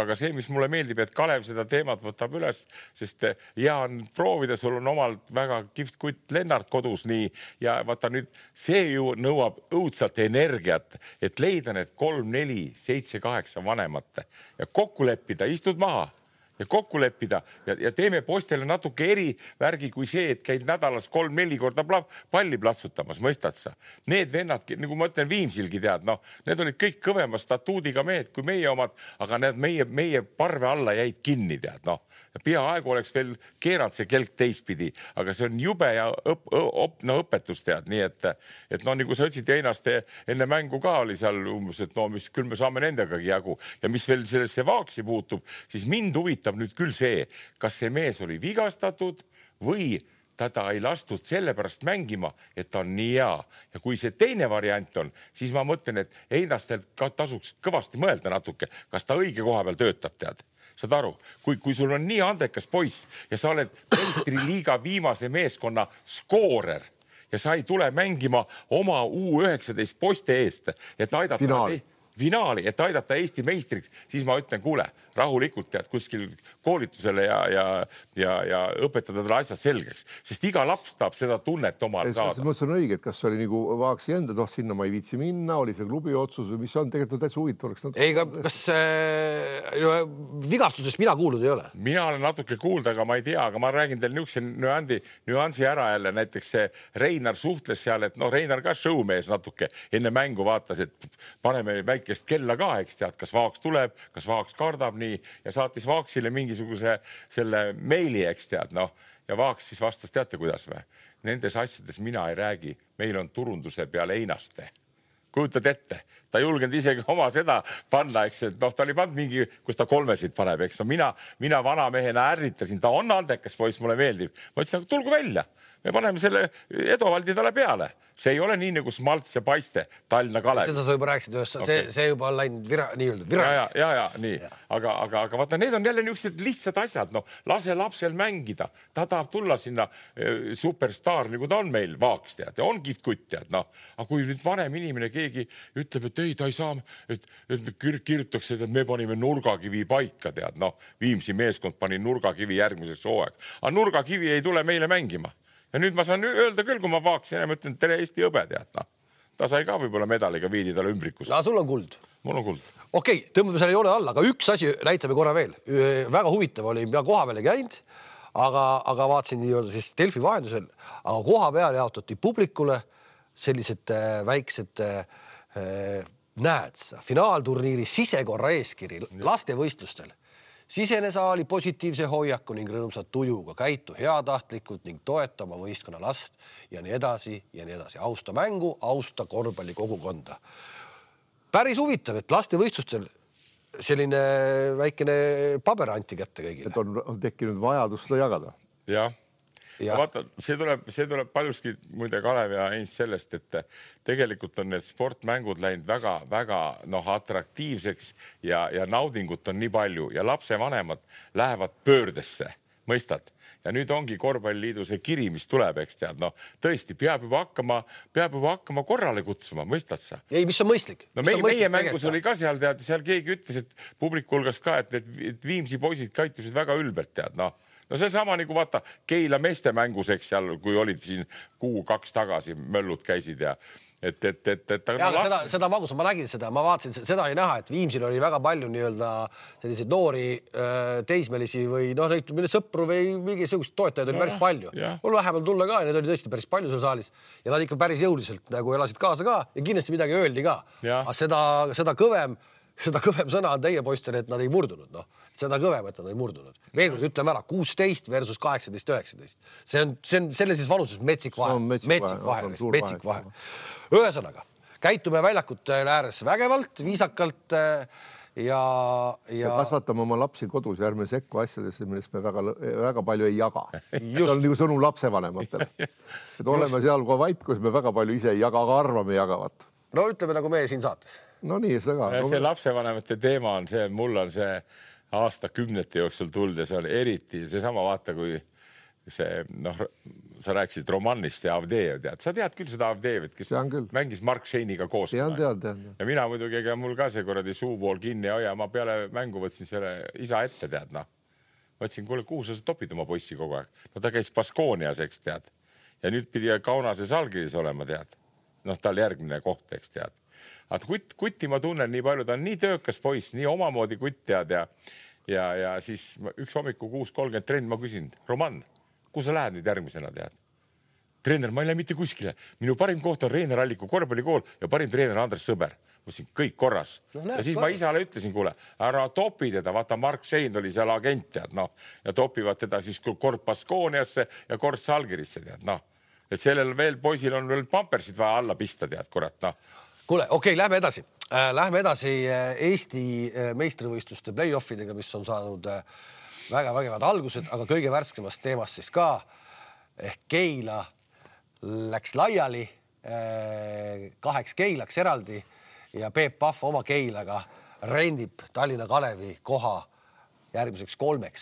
Aga see, mis mulle meeldib, et Kalev seda teemat võtab üles, sest hea on proovida, sul on omalt väga kihvt kutt Lennart kodus nii ja vaata nüüd, see ju nõuab õudselt energiat, et leida need 3, 4, 7, 8 vanemat ja kokku leppida, istud maha ja kokku leppida ja teeme poistele natuke eri värgi kui see, et käid nädalas 3-4 korda palli platsutamas, mõistad sa? Need vennadki, nagu ma ütlen Viimsilgi tead, need olid kõik kõvema statuudiga mehed kui meie omad, aga need meie parve alla jäid kinni tead, peaaegu oleks veel keeranud see kelk teistpidi, aga see on jube ja õpetus tead, nii et nagu sa ütlesid Einast enne mängu ka oli seal umbes, et küll me saame nendegagi jagu ja mis veel sellesse Vaaksi puutub, siis mind huvitab nüüd küll see, kas see mees oli vigastatud või teda ei lastud sellepärast mängima, et ta on nii hea. Ja kui see teine variant on, siis ma mõtlen, et Einastel tasuks kõvasti mõelda natuke, kas ta õige koha peal töötab tead. Saad aru, kui sul on nii andekas poiss ja sa oled meistriliiga viimase meeskonna skoorer ja sa ei tule mängima oma U19 poiste eest, et aidata finaali, et aidata Eesti meistriks, siis ma ütlen, kuule, rahulikult tead kuskil koolitusele ja õpetada talle asjad selgeks, sest iga laps tahab seda tunnet omal saada. See on õige, et kas oli nagu Vaaksi enda, sinna ma ei viitsi minna, oli see klubi otsus või mis on tegelikult täitsa huvitav. Ei, kas vigastusest mina kuulnud ei ole? Mina olen natuke kuulda, aga ma ei tea, aga ma räägin teil niisuguse nüansi ära jälle, näiteks see Reinar suhtles seal, et Reinar ka showmees natuke enne mängu vaatas, et paneme väikest kella ka, eks tead, kas Vaaks tuleb, kas Vaaks kardab nii ja saatis Vaaksile mingisuguse selle meili, eks tead, ja Vaaks siis vastas, teate kuidas või? Nendes asjades mina ei räägi, meil on turunduse peal Einaste. Kujutad ette, ta ei julgenud isegi oma seda panna, eks, et ta oli pannud mingi, kus ta 3 paneb, eks. Mina vana mehena ärritasin, ta on andekas poiss, mulle meeldib. Ma ütlesin, tulgu välja, me paneme selle Edovaldi talle peale. See ei ole nii nagu Smalts ja Paiste, Tallinna Kalev. Seda sa juba rääkisid ühes, see juba on läinud viraks. Ja, nii. Aga vaata, need on jälle niisugused lihtsad asjad. Lase lapsel mängida. Ta tahab tulla sinna superstaar, nagu ta on meil Vaaks, tead. Ja on kihvt tead. Aga kui nüüd vanem inimene keegi ütleb, et ei, ta ei saa, et kirjutaks, et me panime nurgakivi paika, tead. Viimsi meeskond pani nurgakivi järgmiseks hooaeg. Aga nurgakivi ei tule meile mängima. Ja nüüd ma saan öelda küll, kui ma Vaaksin ja mõtlen, tere Eesti õbe, tead. Ta sai ka võib-olla medaliga viidi talle ümbrikus. Sul on kuld. Mul on kuld. Okei, tõmbame selle joone alla, aga üks asi näitame korra veel. Väga huvitav oli, ma koha peale käinud, aga vaatasin nii-öelda siis Delfi vahendusel, aga koha peal jaotati publikule sellised väiksed finaalturniiri sisekorra eeskiri lastevõistlustel. Sisene saali positiivse hoiaku ning rõõmsat tujuga, käitu heatahtlikult ning toetama võistkonna last ja nii edasi ja nii edasi. Austa mängu, austa korvpalli kogukonda. Päris huvitav, et lastevõistlustel selline väikene paber anti kätte kõigile. Et on tekkinud vajadus seda jagada. Jah. Vaata, see tuleb paljuski muide Kalev ja Heinz sellest, et tegelikult on need sportmängud läinud väga atraktiivseks ja naudingut on nii palju ja lapsevanemad lähevad pöördesse, mõistad? Ja nüüd ongi korvpalliliidu see kiri, mis tuleb, eks tead, tõesti peab juba hakkama korrale kutsuma, mõistad sa? Ei, mis on mõistlik? Meie mängus oli ka seal, tead, seal keegi ütles, et publiku hulgast ka, et Viimsi poisid käitusid väga ülbelt, tead, see sama nagu vaata Keila meeste mängus, eks seal, kui olid siin 2 tagasi, möllud käisid ja seda magus, ma nägin seda, ma vaatasin, seda ei näha, et Viimsil oli väga palju nii-öelda selliseid noori teismelisi või sõpru või mingisugust toetajaid oli päris palju. Mul vähemal tulla ka ja need oli tõesti päris palju seal saalis ja nad ikka päris jõuliselt nagu elasid kaasa ka ja kindlasti midagi öeldi ka. Aga seda kõvem sõna on teie poistele, et nad ei murdunud, seda kõvem, et nad ei murdunud. Veel kord ütleme ära, 16 versus 18-19. See on sellises vanuses metsik vahe. Ühesõnaga, käitume väljakute ääres vägevalt, viisakalt ja kasvatame oma lapsi kodus ja ärme sekku asjadesse, millest me väga palju ei jaga. See on nagu sõnum lapsevanematele. Et oleme seal kui vait, kus me väga palju ise ei jaga, aga arvame jagavat. No ütleme nagu meie siin saates. No nii, seda ka. See lapsevanemate teema on see, mul on see aastakümnete jooksul tulnud ja see on eriti seesama vaata, kui see, sa rääkisid Romannist ja Avdejev, tead. Sa tead küll seda Avdejevit, kes mängis Mark Scheiniga koos. Tean. Ja mina muidugi, ega mul ka see korradi suupool kinni ja ma peale mängu võtsin selle isa ette, tead, Võtsin, kuule, kuhu sa topid oma poissi kogu aeg? Ta käis Baskoonias, eks tead. Ja nüüd pidi Kaunases Algiris olema, tead. Tal järgmine koht, eks tead. Aga kutti ma tunnen nii palju, ta on nii töökas poiss, nii omamoodi kutt tead ja siis üks hommiku 6:30 trenn ma küsin, Roman, kuhu sa lähed nüüd järgmisena tead? Treener, ma ei lähe mitte kuskile. Minu parim koht on Reinar Alliku korvpallikool ja parim treener Andres Sõber. Mõtlesin, kõik korras. Ja siis ma isale ütlesin, kuule, ära topi teda, vaata Mark Schein oli seal agent tead, ja topivad teda siis kord Baskooniasse ja kord Salgirisse tead, Et sellel veel poisil on veel pampersid vaja alla pista tead, kurat, Kuule, okei, lähme edasi. Lähme edasi Eesti meistrivõistluste play-offidega, mis on saanud väga vägevad algused, aga kõige värskemast teemast siis ka. Ehk Keila läks laiali 2 Keilaks eraldi ja Peep Pahv oma Keilaga rendib Tallinna Kalevi koha järgmiseks 3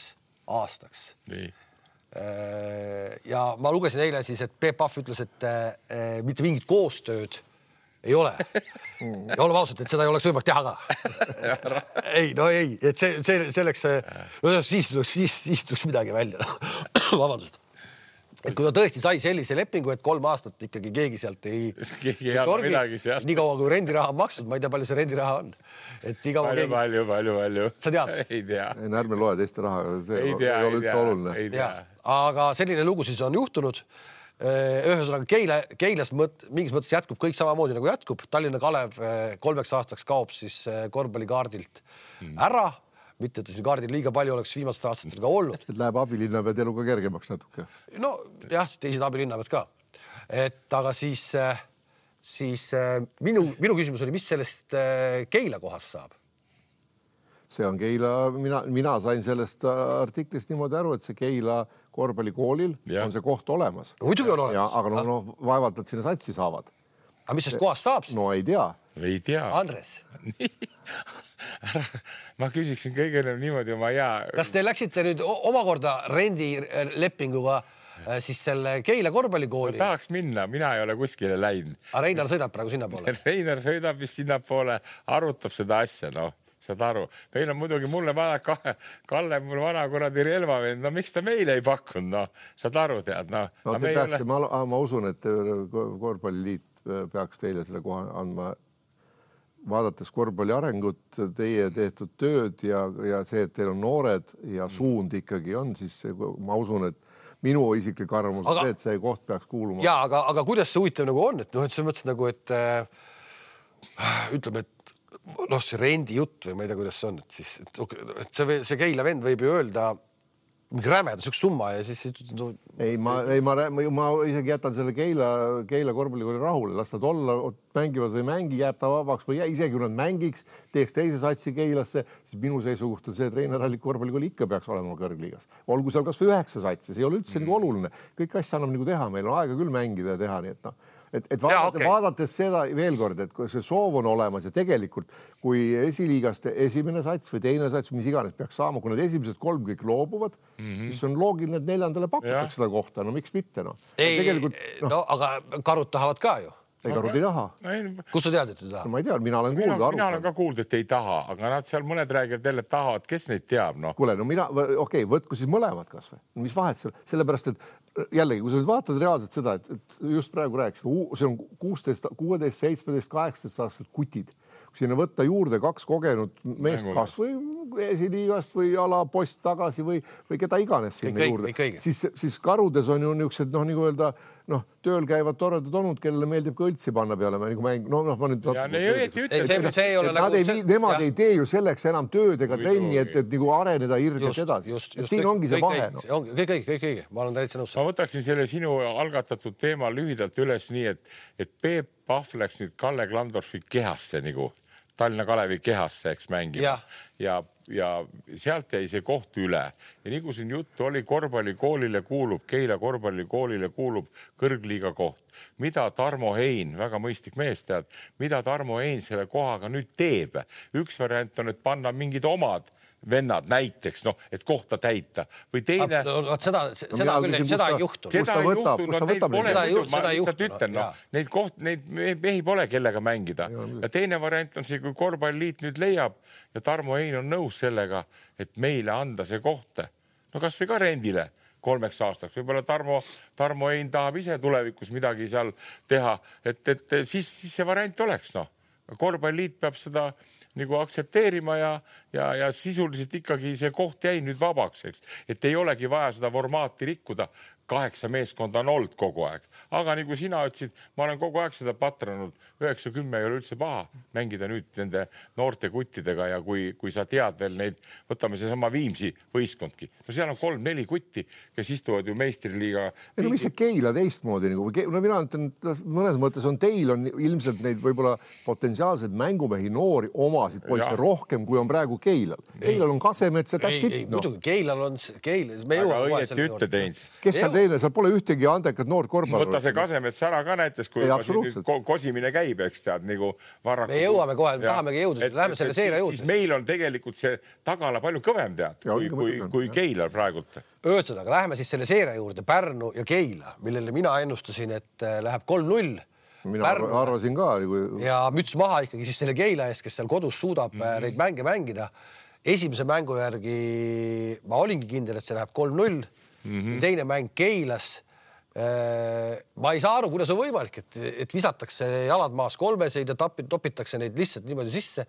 aastaks. Nii. Ja ma lugesin eile siis, et Peep Pahv ütles, et mitte mingit koostööd ei ole. Ja oleme ausalt, et seda ei oleks võimalik teha ka. ei, et selleks, siis tuleks midagi välja. Vabandust. Et kui ta tõesti sai sellise lepingu, et 3 aastat ikkagi keegi sealt ei midagi sealt. Nii kaua kui rendiraha on makstud, ma ei tea, palju see rendiraha on. Et iga palju. Sa tead? Ei tea. Ärme loe teiste raha, see ei ole üldse oluline. Aga selline lugu siis on juhtunud. Ühesõnaga Keilas mingis mõttes jätkub kõik samamoodi nagu jätkub. Tallinna Kalev 3 aastaks kaob siis korvpallikaardilt ära. Mitte, et siin kaardil liiga palju oleks viimastel aastatel ka olnud. Et läheb abilinnapead eluga kergemaks natuke. No jah, teised abilinnapead ka. Et aga siis minu küsimus oli, mis sellest Keila kohast saab? See on Keila, mina sain sellest artiklist niimoodi aru, et see Keila korvpallikoolil on see koht olemas. No muidugi on olemas. Aga vaevalt, et sinna satsi saavad. Aga mis sellest kohast saab siis? No ei tea. Andres. Ma küsiksin kõigele niimoodi oma hea. Kas te läksite nüüd omakorda rendilepinguga siis selle Keila korvpallikooli? Ma tahaks minna, mina ei ole kuskile läinud. Aga Reinar sõidab praegu sinna poole. Reinar sõidab vist sinna poole, arutab seda asja, saad aru. Meil on muidugi mulle vaja Kalle, mul vana kuradi relvavend, miks ta meile ei pakkunud, saad aru, tead. Ma usun, et korvpalliliit peaks teile selle koha andma. Vaadates korvpalli arengut, teie tehtud tööd ja see, et teil on noored ja suund ikkagi on, siis ma usun, et minu isiklik arvamus on see, et see koht peaks kuuluma. Jaa, aga kuidas see huvitav nagu on? Et see mõttes nagu, et ütleme, et see rendi jutt või ma ei tea, kuidas see on, et see Keila vend võib ju öelda mingi rämeda üks summa ja siis... Ei, ma isegi jätan selle Keila korvpallikooli rahule. Las nad olla, mängivad või mängi, jääb ta vabaks või isegi kui nad mängiks, teeks teise satsi Keilasse, siis minu seisukoht on see, et Reinar Allik korvpallikooli ikka peaks olema kõrgliigas. Olgu seal kas või 9 satsi, see ei ole üldse nagu oluline. Kõik asja annab nagu teha, meil on aega küll mängida ja teha, nii et vaadates seda veel kord, et kui see soov on olemas ja tegelikult, kui esiliigast esimene sats või teine sats, mis iganes peaks saama, kui nad esimesed 3 kõik loobuvad, siis on loogiline, et 4. pakutakse seda kohta. No miks mitte? Aga karud tahavad ka ju. Ei, karud ei taha. Kus sa tead, et ei taha? Ma ei tea, mina olen kuulda arutanud. Mina olen ka kuulda, et ei taha, aga nad seal mõned räägivad jälle tahavad, kes neid teab, Kuule, võtku siis mõlemad kas või. Mis vahet seal? Sellepärast, et jällegi, kui sa nüüd vaatad reaalselt seda, et just praegu rääkisime, see on 16, 17, 18 aastased kutid. Kui sinna võtta juurde 2 kogenud meest kas või esiliigast või alapost tagasi või keda iganes sinna juurde, siis karudes on ju niisugused, nagu öelda, tööl käivad toredad olnud, kellele meeldib ka õltsi panna peale. Nemad ei tee ju selleks enam tööd ega trenni, et nagu areneda irgelt edasi. Siin ongi see vahe. Kõik. Ma olen täitsa nõus. Ma võtaksin selle sinu algatatud teema lühidalt üles nii, et Peep Pahv läks nüüd Kalle Klandorfi kehasse nagu Tallinna Kalevi kehasse, eks mängima. Ja sealt jäi see koht üle. Ja nagu siin juttu oli, korvpallikoolile kuulub, Keila korvpallikoolile kuulub kõrgliiga koht. Mida Tarmo Hein, väga mõistlik mees tead, mida Tarmo Hein selle kohaga nüüd teeb? Üks variant on, et panna mingid omad vennad näiteks, et kohta täita. Või teine... Seda ei juhtunud. Seda ei juhtunud. Neid mehi pole kellega mängida. Ja teine variant on see, kui korvpalliliit nüüd leiab ja Tarmo Hein on nõus sellega, et meile anda see kohta. Kas või ka rendile 3 aastaks. Võib-olla Tarmo Hein tahab ise tulevikus midagi seal teha, et siis see variant oleks. Korvpalliliit peab seda nagu aktsepteerima ja sisuliselt ikkagi see koht jäi nüüd vabaks, et ei olegi vaja seda formaati rikkuda. 8 meeskonda on olnud kogu aeg. Aga nagu sina ütlesid, ma olen kogu aeg seda patranud. 9-10 ei ole üldse paha mängida nüüd nende noorte kuttidega ja kui sa tead veel neid, võtame see sama Viimsi võistkondki. Seal on 3-4 kutti, kes istuvad ju meistriliiga. Mis see Keila teistmoodi? Mina ütlen, mõnes mõttes on teil on ilmselt neid võib-olla potentsiaalselt mängumehi noori omasid poisse rohkem, kui on praegu Keilal. Keilal on Kasemets ja that's it. Muidugi, Keilal on väga õieti ütte teins. Kes seal teine? Seal pole ühtegi andekat noort korvpalli. Võta see Kasemets ära ka näites, kui kosimine käib, eks tead, nagu varraku. Me jõuame kohe, tahamegi jõuda, läheme selle seire jõuda. Siis meil on tegelikult see tagala palju kõvem tead, kui Keilal praegult. Ühesõnaga, läheme siis selle seire juurde, Pärnu ja Keila, millele mina ennustasin, et läheb 3-0 mina arvasin ka. Ja müts maha ikkagi siis selle Keila ees, kes seal kodus suudab neid mänge mängida. Esimese mängu järgi ma olingi kindel, et see läheb 3-0. Teine mäng Keilas. Ma ei saa aru, kuidas on võimalik, et visatakse jalad maas kolmeseid ja topitakse neid lihtsalt niimoodi sisse.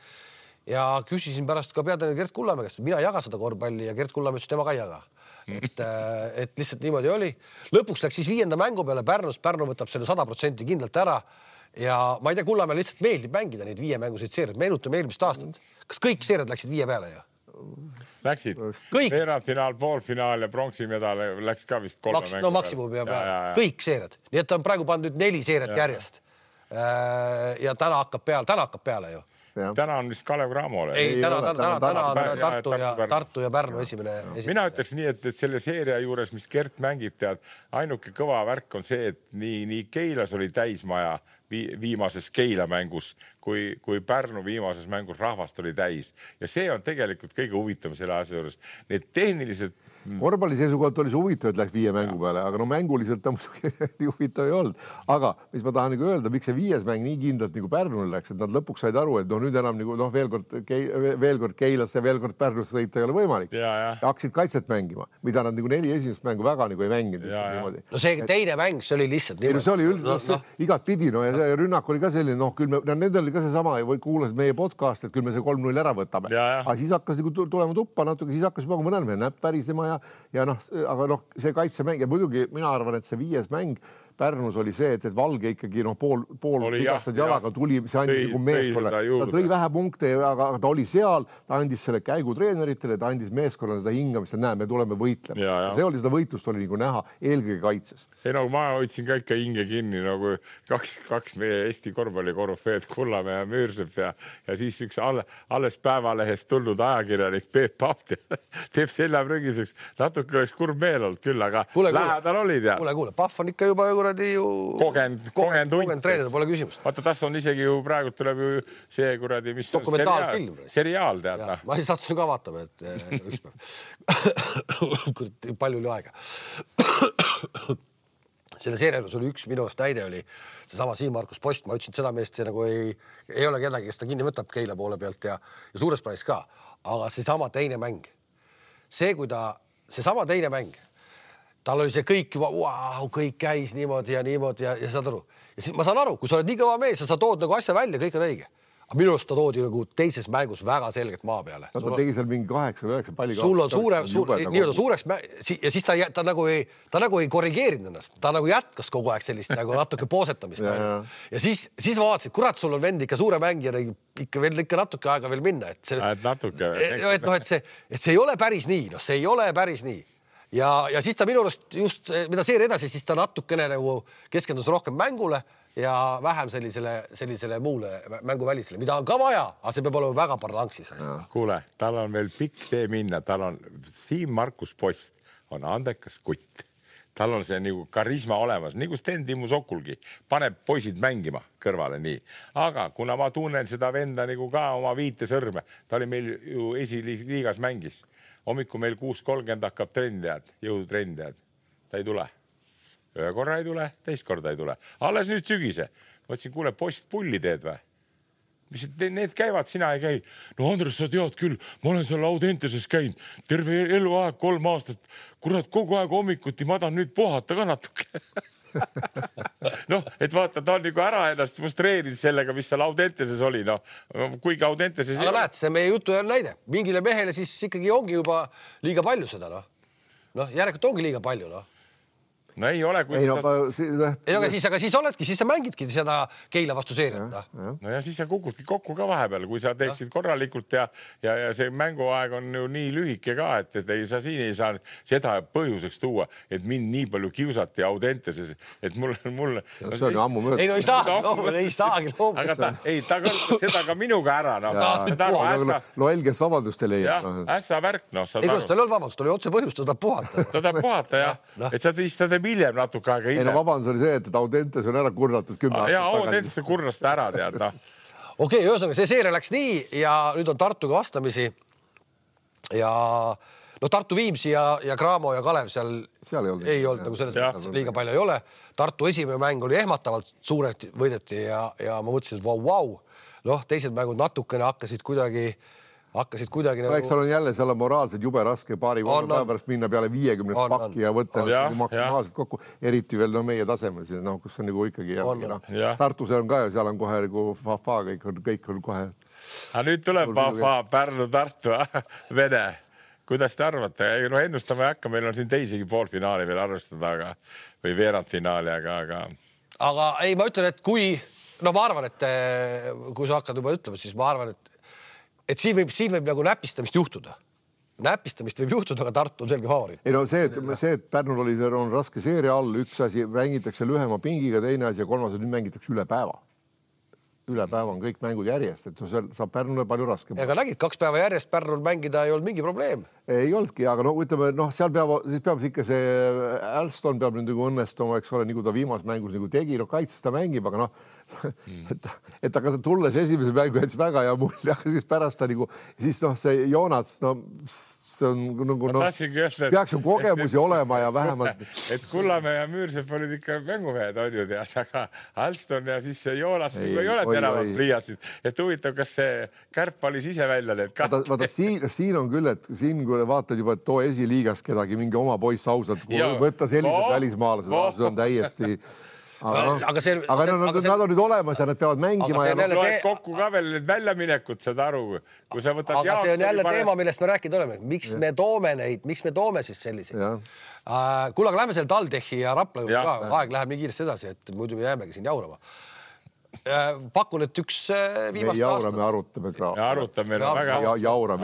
Ja küsisin pärast ka peatreener Gert Kullamäe käest, mina ei jaga seda korvpalli ja Gert Kullamäe ütles, tema ka ei jaga. Et lihtsalt niimoodi oli. Lõpuks läks siis 5. mängu peale Pärnus. Pärnu võtab selle 100% kindlalt ära. Ja ma ei tea, Kullamäe lihtsalt meeldib mängida neid 5 mänguseid seeriad. Meenutame eelmist aastat. Kas kõik seeriad läksid 5 peale ju? Läksid. Veerandfinaal, poolfinaal ja pronksi-medal läks ka vist 3 mängu. No maksimum peab peale. Kõik seeriad. Nii et on praegu pandud 4 seeriat järjest. Ja täna hakkab peale ju. Ja. Täna on vist Kalev Cramole. Ei, täna on Tartu ja Pärnu esimene. Mina ütleks nii, et selle seeria juures, mis Gert mängib tead, ainuke kõva värk on see, et nii Keilas oli täismaja viimases Keila mängus, kui Pärnu viimases mängus rahvast oli täis. Ja see on tegelikult kõige huvitav selle asja juures. Need tehnilised... Korvpalli seisukohalt oli see huvitav, et läks 5 mängu peale, aga no mänguliselt ta muidugi huvitav ei olnud. Aga mis ma tahan öelda, miks see 5. mäng nii kindlalt nagu Pärnule läks, et nad lõpuks said aru, et nüüd enam veel kord Keilasse ja veel kord Pärnusse sõita ei ole võimalik. Ja hakkasid kaitset mängima, mida nad 4 esimest mängu väga ei mänginud. No see teine mäng, see oli lihtsalt niimoodi. See oli üldiselt igat pidi, ja see rünnak oli ka selline, nendel oli ka seesama, kuulasid meie podcast, et küll me see 3-0 ära võtame. Aga siis hakkas tulema tuppa natuke, siis hakkas juba mõnel meil näpp pärisema ja aga see kaitsemäng ja muidugi mina arvan, et see 5. mäng Pärnus oli see, et Valge ikkagi pool vigastad jalaga tuli, see andis meeskonna. Ta tõi vähe punkte, aga ta oli seal, ta andis selle käigu treeneritele, ta andis meeskonnale seda hingamist, et näe, me tuleme võitlema. See oli seda võitlust oli nagu näha eelkõige kaitses. Ei, no ma hoidsin ka ikka hinge kinni, nagu kaks meie Eesti korvpallikorvfeed Kullamäe ja Müürsepp ja siis üks alles Päevalehest tulnud ajakirjanik Peep Pahv teeb selja prügiseks. Natuke oleks kurb meel olnud küll, aga lähedal olid ja. Kuule, Pahv on ikka juba kogenud treener, pole küsimust. Vaata, tas on isegi ju praegu tuleb ju see kuradi, mis dokumentaalfilm. Seriaal tead. Ma ei sattunud ka vaatama, et ükspäev. Palju oli aega. Selle seerialus oli üks minu näide oli seesama Siim-Markus Post. Ma ütlesin, et seda meest nagu ei ole kedagi, kes ta kinni võtab Keila poole pealt ja suures plaanis ka. Aga seesama teine mäng. Seesama teine mäng. Tal oli see kõik juba, kõik käis niimoodi ja saad aru. Ja siis ma saan aru, kui sa oled nii kõva mees, sa tood nagu asja välja, kõik on õige. Aga minu arust ta toodi nagu teises mängus väga selgelt maa peale. Ta tegi seal mingi 8-9 palli. Sul on nii-öelda suureks ja siis ta nagu ei korrigeerinud ennast. Ta nagu jätkas kogu aeg sellist nagu natuke poosetamist. Ja siis vaatasid, kurat, sul on vend ikka suure mängija, ikka natuke aega veel minna. Et see ei ole päris nii. No see ei ole päris nii. Ja siis ta minu arust just, mida seeri edasi, siis ta natukene nagu keskendus rohkem mängule ja vähem sellisele muule mänguvälisele, mida on ka vaja, aga see peab olema väga parlanksis. Kuule, tal on veel pikk tee minna. Siim-Markus Post on andekas kutt. Tal on see nagu karisma olemas, nagu Sten Timmu Sokulgi. Paneb poisid mängima kõrvale nii. Aga kuna ma tunnen seda venda nagu ka oma 5 sõrme, ta oli meil ju esiliigas mängis. Hommiku meil 6.30 hakkab jõudtrendijad. Ta ei tule. Ühe korra ei tule, teist korda ei tule. Alles nüüd sügise. Ma ütlesin, kuule, Post pulli teed või? Mis need käivad, sina ei käi. No Andres, sa tead küll, ma olen seal Audenteses käinud. Terve eluaeg 3 aastat. Kurat, kogu aeg hommikuti ma tahan nüüd puhata ka natuke. Et vaata, ta on nagu ära ennast frustreerinud sellega, mis seal Audenteses oli. Kuigi Audenteses... Aga näed, see meie jutu on näide. Mingile mehele siis ikkagi ongi juba liiga palju seda. Järelikult ongi liiga palju. No ei ole, kui aga siis oledki, siis sa mängidki seda Keila vastu seeriat. No ja siis sa kukudki kokku ka vahepeal, kui sa teeksid korralikult ja see mänguaeg on ju nii lühike ka, et sa siin ei saa seda põhjuseks tuua, et mind nii palju kiusati Audenteses, et mul... See on ju ammu mööda. Ei, no ei saagi loomuda. Aga ta kasutas seda ka minuga ära. No helges vabandust ei leia. Ässa värk, Ei, kus tal ei olnud vabandust, oli otse põhjust, ta tahab puhata. Ta tahab puhata, jah. Et sa teistad hiljem natuke aega hiljem. Ei, no vabandus oli see, et Audentes on ära kurnatud 10 aastat tagasi. Audentes on kurnast ära, tead. Okei, ühesõnaga, see seeria läks nii ja nüüd on Tartuga vastamisi ja no Tartu Viimsi ja Cramo ja Kalev seal ei olnud nagu selles mõttes liiga palju ei ole. Tartu esimene mäng oli ehmatavalt suurelt võideti ja ma mõtlesin, et vau. Noh, teised mängud natukene hakkasid kuidagi nagu... Eks seal on jälle seal moraalselt jube raske paari päeva pärast minna peale 50 pakki ja võtta maksimaalselt kokku. Eriti veel meie tasemel, kus on nagu ikkagi Tartus on ka ja seal on kohe nagu Fafa, kõik on kohe. Aga nüüd tuleb Fafa, Pärnu, Tartu, Vene. Kuidas te arvate? No ennustama ei hakka, meil on siin teisigi poolfinaali veel arvestada, või veerandfinaali, aga... Aga ei, ma ütlen, et kui... No ma arvan, et kui sa hakkad juba ütlema, siis ma arvan, et siin võib nagu näpistamist juhtuda. Näpistamist võib juhtuda, aga Tartu on selge favoriit. Ei no see, et Pärnul on raske seeria all, üks asi mängitakse lühema pingiga, teine asi ja kolmas nüüd mängitakse üle päeva. Üle päeva on kõik mängud järjest, et saab Pärnule palju raskem. Aga nägid, 2 päeva järjest Pärnul mängida ei olnud mingi probleem. Ei olnudki, aga ütleme, seal peab ikka see Alston peab nüüd nagu õnnestuma, eks ole, nagu ta viimas mängus nagu tegi, kaitses ta mängib, aga et aga tulles esimese mängu jättis väga hea mulje, aga siis pärast ta nagu, siis see Joonats, see on nagu peaks ju kogemusi olema ja vähemalt. Et Kullamäe ja Müürsepp olid ikka mängumehed, on ju tead, aga Alston ja siis see Joonas ei ole teravad pliiatsid. Et huvitav, kas see Kärp valis ise välja need kahti. Vaata, siin on küll, et siin kui vaatad juba, et too esiliigas kedagi mingi oma poiss ausalt, kui võtta sellised välismaalased, see on täiesti... Aga nad on nüüd olemas ja nad peavad mängima. Aga see loed kokku ka veel need väljaminekud, seda aru. Kui sa võtad aga see on jälle teema, millest me rääkida oleme. Miks me toome siis selliseid? Kuule, aga lähme selle Taldechi ja Rapla juurde ka. Aeg läheb nii kiiresti edasi, et muidu me jäämegi siin jaurama. Pakun, et üks viimast aastat. Me arutame kraam. Ja arutame väga.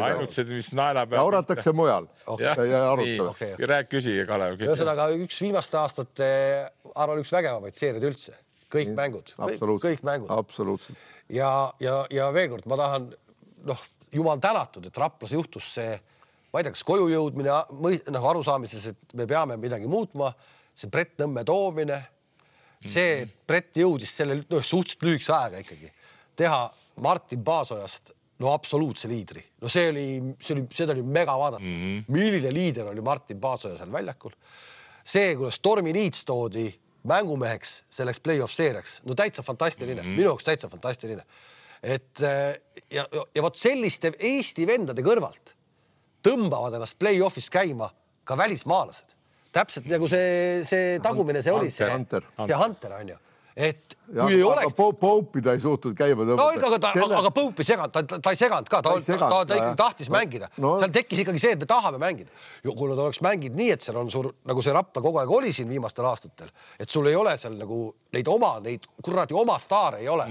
Ainult see, mis naela peab. Jauratakse mujal. Nii, rääk küsige, Kalev. Ühesõnaga, üks viimast aastat arvan üks vägevamaid seeriad üldse. Kõik mängud. Kõik mängud. Absoluutselt. Ja veel kord, ma tahan, jumal tänatud, et Raplas juhtus see, ma ei tea, kas koju jõudmine, arusaamises, et me peame midagi muutma, see Brett Nõmme toomine, see Brett jõudis selle suhteliselt lühikese aega ikkagi teha Martin Paasojast absoluutse liidri. Seda oli mega vaadata. Milline liider oli Martin Paasoja seal väljakul. See, kuidas Tormi Niits toodi mängumeheks selleks play-off seeriaks, täitsa fantastiline. Minu jaoks täitsa fantastiline. Ja võt selliste Eesti vendade kõrvalt tõmbavad ennast play-offis käima ka välismaalased. Täpselt nagu see tagumine see oli, see Hunter on ju. Et kui ei oleks... Poupi ta ei suutnud käima tõmbata. Aga Poupi seganud, ta ei seganud ka, ta ikkagi tahtis mängida. Seal tekkis ikkagi see, et me tahame mängida. Kui nad oleks mänginud nii, et seal on suur, nagu see Rapla kogu aeg oli siin viimastel aastatel, et sul ei ole seal nagu neid kuradi oma staare ei ole,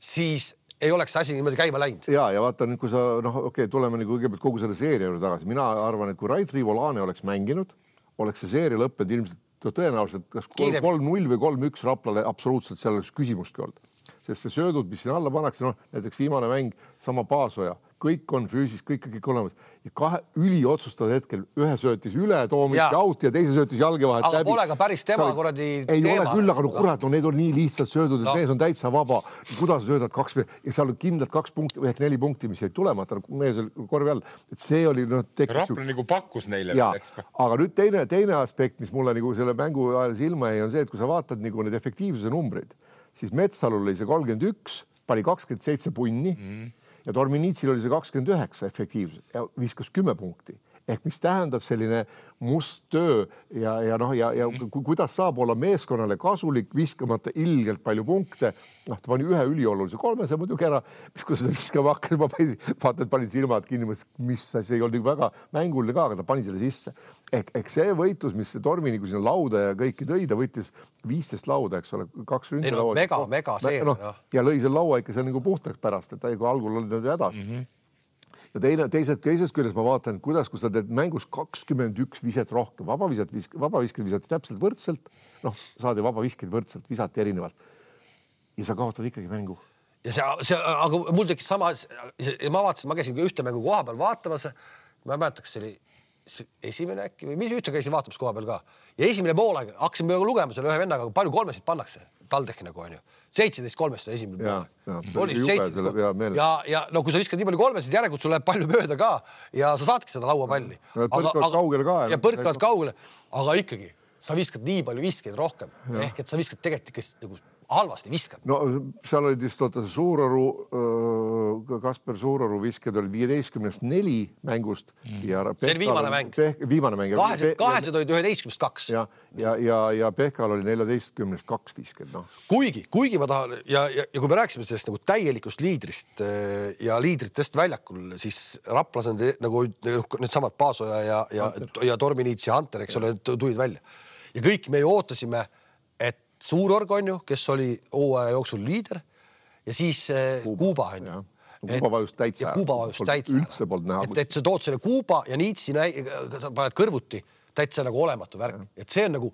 siis ei oleks see asi niimoodi käima läinud. Ja vaata nüüd, kui sa, tuleme nagu kõigepealt kogu selle seeria juurde tagasi. Mina arvan, et kui Rait Rivolane oleks mänginud, oleks see seeria lõppenud ilmselt tõenäoliselt kas 3-0 või 3-1 Raplale absoluutselt seal oleks küsimustki olnud. Sest see söödud, mis siin alla pannakse, näiteks viimane mäng, sama Paasoja, kõik on füüsis, kõik olemas. Ja kahe üliotsustatud hetkel ühe söötis üle, Toomis out ja teise söötis jalge vahet läbi. Aga pole ka päris tema korradi teema. Ei ole küll, aga kurat, need on nii lihtsalt söödud, et mees on täitsa vaba. Kuidas sa söödad 2 ja seal on kindlalt 2 punkti või 4 punkti, mis jäid tulemata mees korvi all. Et see oli Rapla nagu pakkus neile. Aga nüüd teine aspekt, mis mulle nagu selle mängu ajal silma jäi, on see, et kui sa vaatad nagu need efektiivsuse numbreid, siis Metsalul oli see 31, pani 27 punni ja Torminitsil oli see 29 efektiivsus ja viskas 10 punkti. Ehk mis tähendab selline must töö ja kuidas saab olla meeskonnale kasulik viskamata ilgelt palju punkte. Ta pani ühe üliolulise 300 muidugi ära, mis kui seda viskama hakkas, ma vaatan, et panin silmad kinni, mis see ei olnud väga mänguline ka, aga ta pani selle sisse. Ehk see võitlus, mis see Tormi nagu sinna lauda ja kõiki tõi, ta võttis 15 lauda, eks ole, 2 ründe mega seer. Ja lõi selle laua ikka seal nagu puhtaks pärast, et ta algul oli hädas. Ja teisest küljest ma vaatan, kuidas, kui sa teed mängus 21 viset rohkem, vabaviskid visati täpselt võrdselt, saadi vabaviskid võrdselt, visati erinevalt. Ja sa kaotad ikkagi mängu. Aga mul tekkis sama, ma vaatasin, ma käisin ühte mängu koha peal vaatamas, ma mäletaks, see oli esimene äkki või mis üldse käisin vaatamas koha peal ka. Ja esimene poolaeg hakkasime lugema selle ühe vennaga, palju kolmesid pannakse TalTechi nagu on ju. 17-3 esimene poolaeg. Oli 17. Ja no kui sa viskad nii palju kolmesid, järelikult sul läheb palju mööda ka ja sa saadki seda lauapalli. Ja põrkavad kaugele, aga ikkagi sa viskad nii palju viskeid rohkem. Ehk et sa viskad tegelikult ikka nagu halvasti viskab. No seal olid just see Suuroru, Kasper Suuroru visked olid 15-4 mängust. See oli viimane mäng. Viimane mäng. Kahesed olid 11-2. Ja Pehkal oli 14-2 visked. No. Kuigi ma tahan, ja kui me rääksime sellest nagu täielikust liidrist ja liidritest väljakul, siis Raplas on nagu need samad Paasoja ja Torminiits ja Hunter, eks ole, tulid välja. Ja kõik me ju ootasime, et Suurorg on ju, kes oli hooaja jooksul liider ja siis Kuuba on ju. Kuuba vajus täitsa. Üldse polnud näha. Et sa tood selle Kuuba ja Niitsi paned kõrvuti täitsa nagu olematu värk. Et see on nagu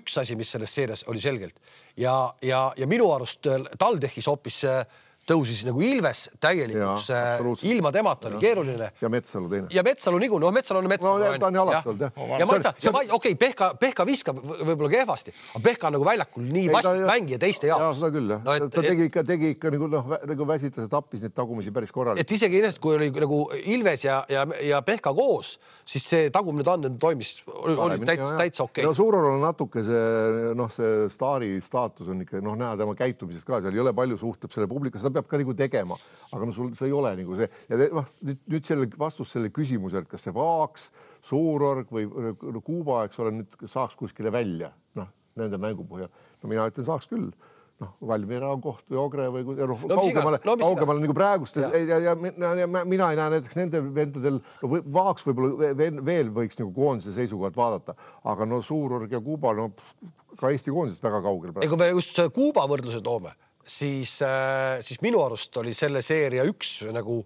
üks asi, mis selles seerias oli selgelt. Ja minu arust TalTechis hoopis tõusis nagu Ilves täielikuks, ilma temata oli keeruline. Ja Metsalu teine. Ja Metsalu nigu, Metsalu on Metsalu. No ta on alati olnud, jah. Okei, Pehka viskab võib-olla kehvasti, aga Pehka on nagu väljakul nii vast mängija teiste jaoks. Jaa, seda küll, jah. Ta tegi ikka nagu väsitas ja tappis neid tagumisi päris korralikult. Et isegi ennast, kui oli nagu Ilves ja Pehka koos, siis see tagumine tanden toimis, oli täitsa okei. No Suuror on natuke see staari staatus on ikka, näha tema käitumisest ka, seal ei ole palju suhtleb selle publika, seda peab ka nagu tegema, aga sul see ei ole nagu see. Ja nüüd selle vastus selle küsimuse, et kas see Vaaks, Suurorg või Kuuba, eks ole, nüüd saaks kuskile välja, nende mängu põhjal. No mina ütlen, saaks küll. Valmiera koht või Ogre või kaugemale nagu praegust. Ja mina ei näe näiteks nende vendadel, Vaaks võib-olla veel võiks nagu koondise seisukohalt vaadata, aga Suurorg ja Kuuba ka Eesti koondisest väga kaugel. Kui me just Kuuba võrdluse toome, siis minu arust oli selle seeria üks nagu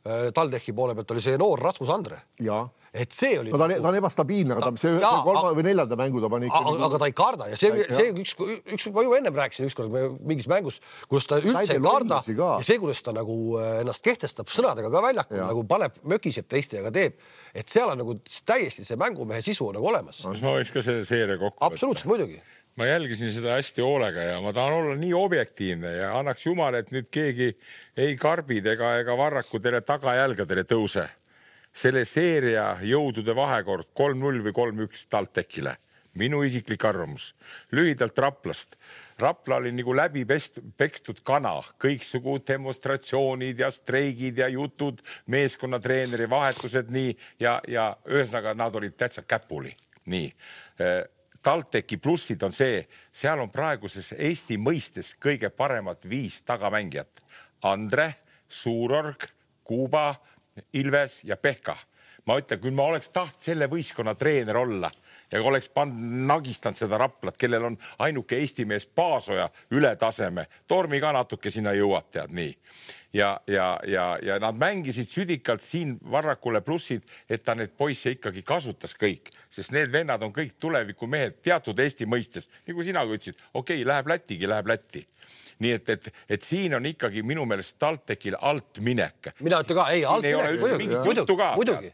TalTechi poole pealt oli see noor Rasmus Andre. Jaa. Et see oli... No ta on ebastabiilne, aga see kolma või neljanda mängu ta pani ikka... Aga ta ei karda ja see üks ma ju ennem rääkisin ükskord mingis mängus, kus ta üldse ei karda ja see, kuidas ta nagu ennast kehtestab sõnadega ka väljakul, nagu paneb mökiseb teiste ja ka teeb, et seal on nagu täiesti see mängumehe sisu on nagu olemas. Kas ma võiks ka selle seeria kokku võtta? Absoluutselt, muidugi. Ma jälgisin seda hästi hoolega ja ma tahan olla nii objektiivne ja annaks jumal, et nüüd keegi ei karbid ega varrakudele tagajälgadele tõuse. Selle seeria jõudude vahekord 3-0 või 3-1 TalTechile. Minu isiklik arvamus. Lühidalt Raplast. Rapla oli nagu läbi pekstud kana. Kõiksugu demonstratsioonid ja streigid ja jutud, meeskonnatreeneri vahetused nii ja ühesõnaga nad olid täitsa käpuli. Nii. TalTechi plussid on see, seal on praeguses Eesti mõistes kõige paremat 5 tagamängijat. Andre, Suurorg, Kuuba, Ilves ja Pehka. Ma ütlen, kui ma oleks taht selle võistkonna treener olla ja oleks nagistanud seda Raplat, kellel on ainuke Eesti mees Paasoja üle taseme, Tormi ka natuke sinna jõuab, tead nii. Ja nad mängisid südikalt siin varrakule plussid, et ta need poisse ikkagi kasutas kõik, sest need vennad on kõik tuleviku mehed teatud Eesti mõistes. Nagu sina ütlesid, okei, läheb Lätti. Nii et siin on ikkagi minu meelest TalTechil alt minek. Mina ütlen ka, ei, alt minek.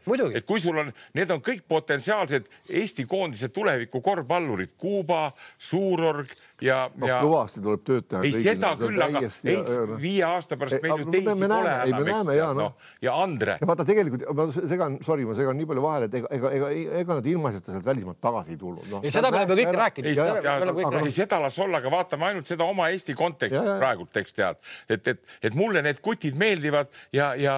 Muidugi. Et kui sul on, need on kõik potentsiaalsed Eesti koondise tuleviku korvpallurid, Kuuba, Suurorg ja... Kõvasti tuleb tööd teha. Ei seda küll, aga 5 aasta pärast meil ju teisi pole enam. Ja Andre. Ja vaata tegelikult, ma segan nii palju vahele, et ega nad ilmaiseta sealt välismaalt tagasi ei tulnud. Ja seda me oleme kõik rääkinud. Ei seda las olla, aga vaatame ainult seda oma Eesti konteksti. Praegult tekst tead, et mulle need kutid meeldivad ja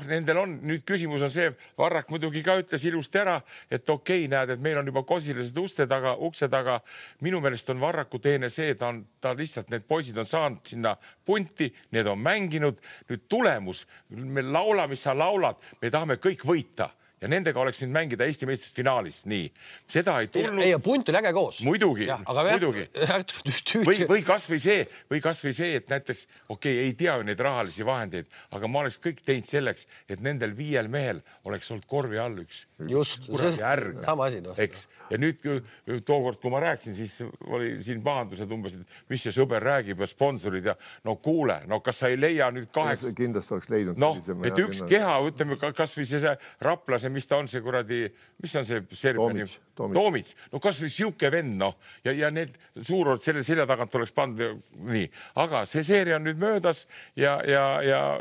nendel on, nüüd küsimus on see, Varrak muidugi ka ütles ilusti ära, et okei, näed, et meil on juba kosilised ukse taga, minu meelest on Varraku teene see, ta lihtsalt, need poisid on saanud sinna punti, need on mänginud, nüüd tulemus, me laula, mis sa laulad, me tahame kõik võita. Ja nendega oleks nüüd mängida Eesti meistest finaalis. Nii. Seda ei tulnud. Ei, punt oli äge koos. Muidugi. Või kas või see, et näiteks, ei tea ju neid rahalisi vahendeid, aga ma oleks kõik teinud selleks, et nendel 5 mehel oleks olnud korvi all üks. Just, sama asi. Eks. Ja nüüd tookord, kui ma rääksin, siis oli siin pahandused umbes, et mis see sõber räägib ja sponsorid ja kuule, kas sa ei leia nüüd 8... Kindlasti oleks leidnud. Et üks keha, ütleme, kas või see Rapla, see mis ta on see kuradi, mis on see Serbia Toomits. No kas või siuke vend, noh, ja need Suurord selle selja tagant oleks pandud nii. Aga see seeria on nüüd möödas ja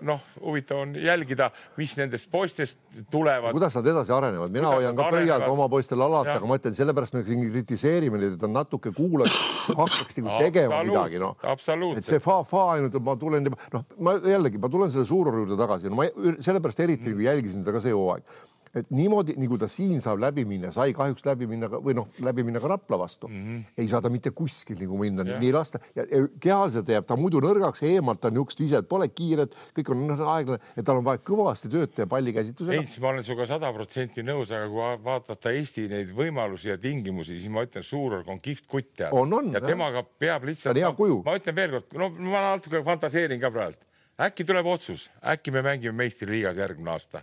noh, huvitav on jälgida, mis nendest poistest tulevad. Kuidas nad edasi arenevad? Mina hoian ka pöial oma poistele alati, aga ma ütlen, sellepärast me siin kritiseerime neid, et on natuke kuulad, hakkaks tegema midagi. No. Absoluutselt. Et see fa ainult, ma tulen, noh, ma tulen selle Suuroru juurde tagasi. No, ma sellepärast eriti jälgisin seda ka see hooaeg. Et niimoodi, nagu ta siin saab läbi minna, sai kahjuks läbi minna ka Rapla vastu. Ei saa ta mitte kuskil nagu minna, nii lasta. Ja kehaliselt jääb ta muidu nõrgaks, eemalt ta niukest ise, et pole kiired, kõik on aeglane, et tal on vaja kõvasti tööd teha pallikäsitusega. Heinz, ma olen suga 100% nõus, aga kui vaadata Eesti neid võimalusi ja tingimusi, siis ma ütlen, Suurorg on kihvt kutt. Ja temaga peab lihtsalt... Ma ütlen veel kord, no ma natuke fantaseerin ka praegu. Äkki tuleb otsus, äkki me mängime meistriliigas järgmine aasta.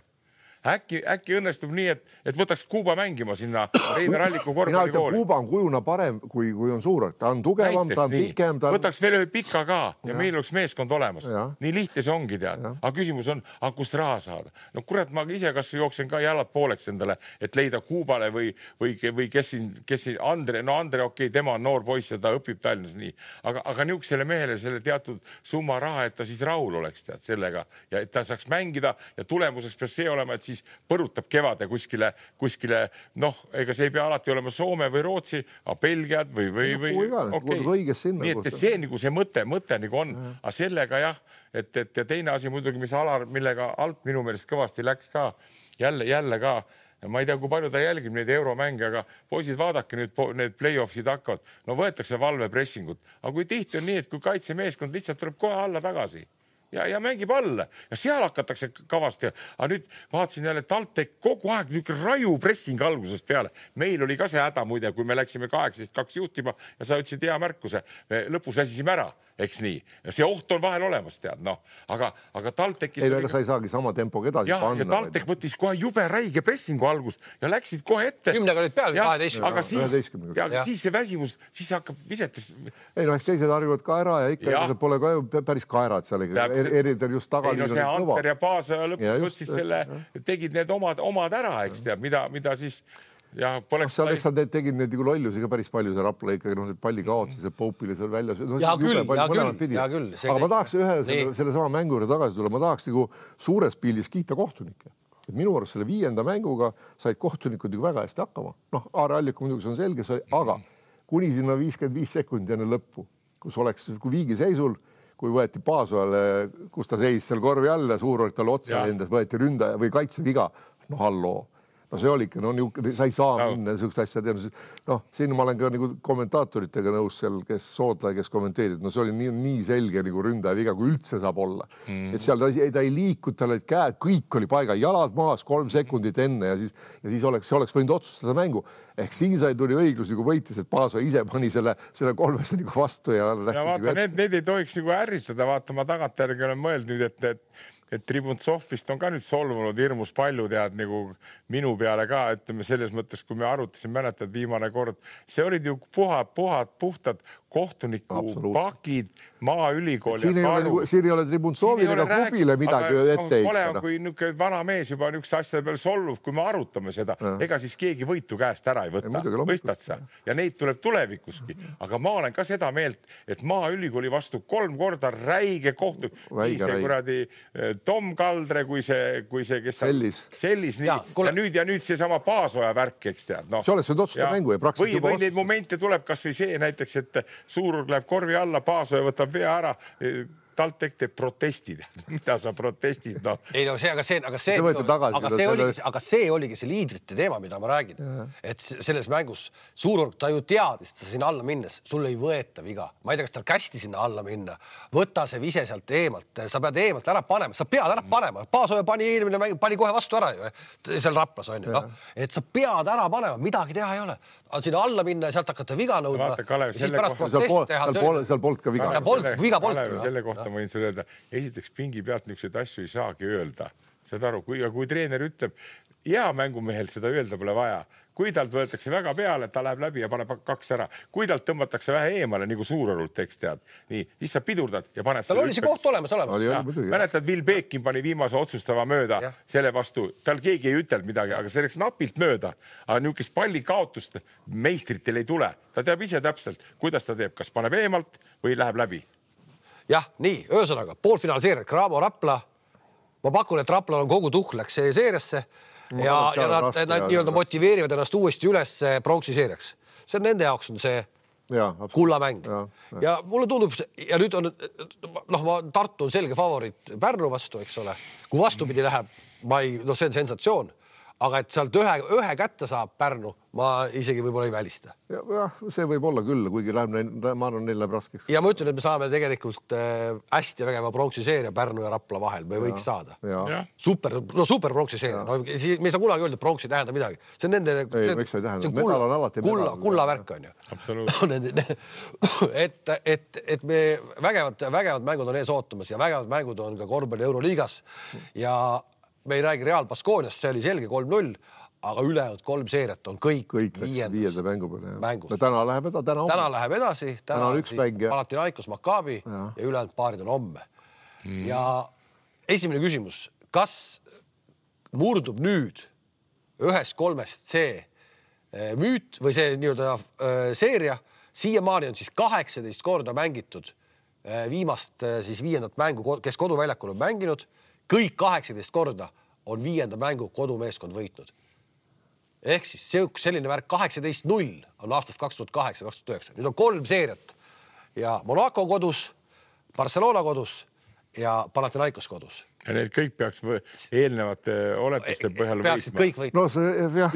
Äkki õnnestub nii, et võtaks Kuuba mängima sinna Reiner Alliku korvpallikooli. Kuuba on kujuna parem, kui on Suurorg. Ta on tugevam, ta on pikem. Võtaks veel ühe pika ka ja meil oleks meeskond olemas. Nii lihtne see ongi, tead. Aga küsimus on, kus raha saada? No kurat, ma ise kas jooksen ka jalad pooleks endale, et leida Kuubale või kes siin Andre, okei, tema on noor poiss ja ta õpib Tallinnas nii. Aga niuksele mehele selle teatud summa raha, et ta siis rahul oleks tead sellega ja et ta saaks mängida ja tulemuseks peaks see olema, et siis põrutab kevade kuskile, noh, ega see ei pea alati olema Soome või Rootsi, aga Belgiad või nii, et see nagu see mõte nagu on, aga sellega jah, et teine asi muidugi, mis Alar, millega alt minu meelest kõvasti läks ka, jälle ka, ma ei tea, kui palju ta jälgib neid euromänge, aga poisid, vaadake nüüd need play-offsid hakkavad, no võetakse valvepressingut, aga kui tihti on nii, et kui kaitsemeeskond lihtsalt tuleb kohe alla tagasi ja mängib alla ja seal hakatakse kavasti. Aga nüüd vaatasin jälle, et TalTech kogu aeg niisugune raju pressing algusest peale. Meil oli ka see häda muide, kui me läksime 18-2 juhtima ja sa ütlesid hea märkuse. Me lõpus väsisime ära, eks nii. Ja see oht on vahel olemas, tead, noh. Aga TalTechis... Ei, sa ei saagi sama tempoga edasi panna. Ja TalTech võttis kohe jube räige pressingu algus ja läksid kohe ette. 10 olid peal, 12. Aga siis see väsimus, siis hakkab visetes... Ei, no eks teised harjuvad ka ära ja ikka pole ka päris kaerad seal. Eritel just tagaliin oli kõva. Anter ja Paasa lõpus võtsid selle, tegid need omad ära, eks teab, mida siis... Eks nad tegid need lollusi ka päris palju, see Rapla ikkagi, palli kaotsi, see Poupile seal välja. Ja küll. Aga ma tahaks selle sama mängu juurde tagasi tulla, ma tahaks suures pildis kiita kohtunikke. Minu arust selle 5. mänguga said kohtunikud väga hästi hakkama. Noh, Aare Alliku muidugi see on selge, aga kuni sinna 55 sekundi enne lõppu, kui viigi seisul, kui võeti Paasuale, kus ta seis seal korvi all ja Suurorg talle otsa endas, võeti ründaja või kaitseviga. No halloo. No see oligi, sa ei saa minna niisugust asja teha. Noh, siin ma olen ka nagu kommentaatoritega nõus seal, kes Soodla, kes kommenteerid. No see oli nii selge nagu ründaja viga, kui üldse saab olla. Et seal ta ei liikud, tal olid käed, kõik oli paiga, jalad maas 3 sekundit enne ja siis oleks võinud otsustada mängu. Ehk siin sai tuli õiglus nagu võitis, et Paaso ise pani selle 3 nagu vastu ja läksid vaata, need ei tohiks nagu ärritada, vaata, ma tagantjärgi olen mõeldnud, et Tribuntsovist on ka nüüd solvunud hirmus palju, tead, nagu minu peale ka, ütleme selles mõttes, kui me arutasime, mäletad viimane kord, see olid ju puhtad kohtuniku pakid, maaülikool. Siin ei ole Tribuntsoovil ega klubile midagi ette heita. Kui niisugune vana mees juba niisuguse asjade peale solvub, kui me arutame seda, ega siis keegi võitu käest ära ei võta. Mõistad sa? Ja neid tuleb tulevikuski. Aga ma olen ka seda meelt, et maaülikooli vastu 3 korda räige kohtunik. Nii see kuradi Tom Kaldre, kui see kes sellis nii. Ja nüüd see sama Paasoja värk, eks tead. See oleks nüüd otsusta mängu ja praktiliselt juba või neid momente tuleb kas või see näiteks, et Suurorg läheb korvi alla, Paasoja võtab vea ära, TalTech teeb protestid. Mida sa protestid? No. Ei, no aga see oligi see liidrite teema, mida ma räägin. Et selles mängus Suurorg, ta ju teadis, ta sinna alla minnes, sul ei võeta viga. Ma ei tea, kas tal kästi sinna alla minna. Võta see vise sealt eemalt. Sa pead eemalt ära panema. Sa pead ära panema. Paasoja pani kohe vastu ära ju. Seal Raplas on ju. Et sa pead ära panema. Midagi teha ei ole. Sinna alla minna ja sealt hakata viga nõudma. Seal polnud ka viga. Viga polnud. Selle kohta ma võin sulle öelda, esiteks pingi pealt niisuguseid asju ei saagi öelda. Saad aru, kui treener ütleb, hea mängumehel seda öelda pole vaja. kui talt võetakse väga peale, ta läheb läbi ja paneb 2 ära. Kui talt tõmmatakse vähe eemale, nagu suurõrult teeks tead. Nii, siis sa pidurdad ja paned tal oli see koht olemas. Mäletad, Will Beekin pani viimase otsustava mööda selle vastu. Tal keegi ei ütelnud midagi, aga see läks napilt mööda. Aga niisugust palli kaotust meistritel ei tule. Ta teab ise täpselt, kuidas ta teeb, kas paneb eemalt või läheb läbi. Jah, nii, öösõnaga, poolfinaalseeria, Cramo Rapla. Ma pakun, et Raplal on kogu tuhk läks seeriasse ja nad nii-öelda motiveerivad ennast uuesti üles pronksi seeriaks. See on nende jaoks on see kullamäng. Ja mulle tundub, ja nüüd on, Tartu on selge favoriit Pärnu vastu, eks ole. Kui vastupidi läheb, see on sensatsioon. Aga et sealt ühe kätte saab Pärnu, ma isegi võib-olla ei välista. Jah, see võib olla küll, kuigi ma arvan, neil läheb raskeks. Ja ma ütlen, et me saame tegelikult hästi vägeva pronksi seeria Pärnu ja Rapla vahel. Me võiks saada. Super pronksi seeria. Me ei saa kunagi öelda, et pronksi ei tähenda midagi. See on nende... Kulla värk on ju. Absoluutselt. Et me vägevad mängud on ees ootamas ja vägevad mängud on ka korvpalli Euroliigas ja me ei räägi Real Baskoniast, see oli selge 3-0, aga ülejäänud 3 seeriat on kõik viienda mängu peale. Mängus. Täna läheb edasi. Täna on üks mäng. Panathinaikos Maccabi ja ülejäänud paarid on homme. Ja esimene küsimus, kas murdub nüüd 1-3 see müüt või see nii-öelda seeria, siiamaani on siis 18 korda mängitud viimast siis 5. mängu, kes koduväljakul on mänginud, kõik 18 korda on 5. mängu kodumeeskond võitnud. Ehk siis selline värk 18-0 on aastast 2008-2009. Nüüd on 3 seeriat ja Monaco kodus, Barcelona kodus ja Panathinaikos kodus. Ja need kõik peaks eelnevate oletuste põhjal võitma.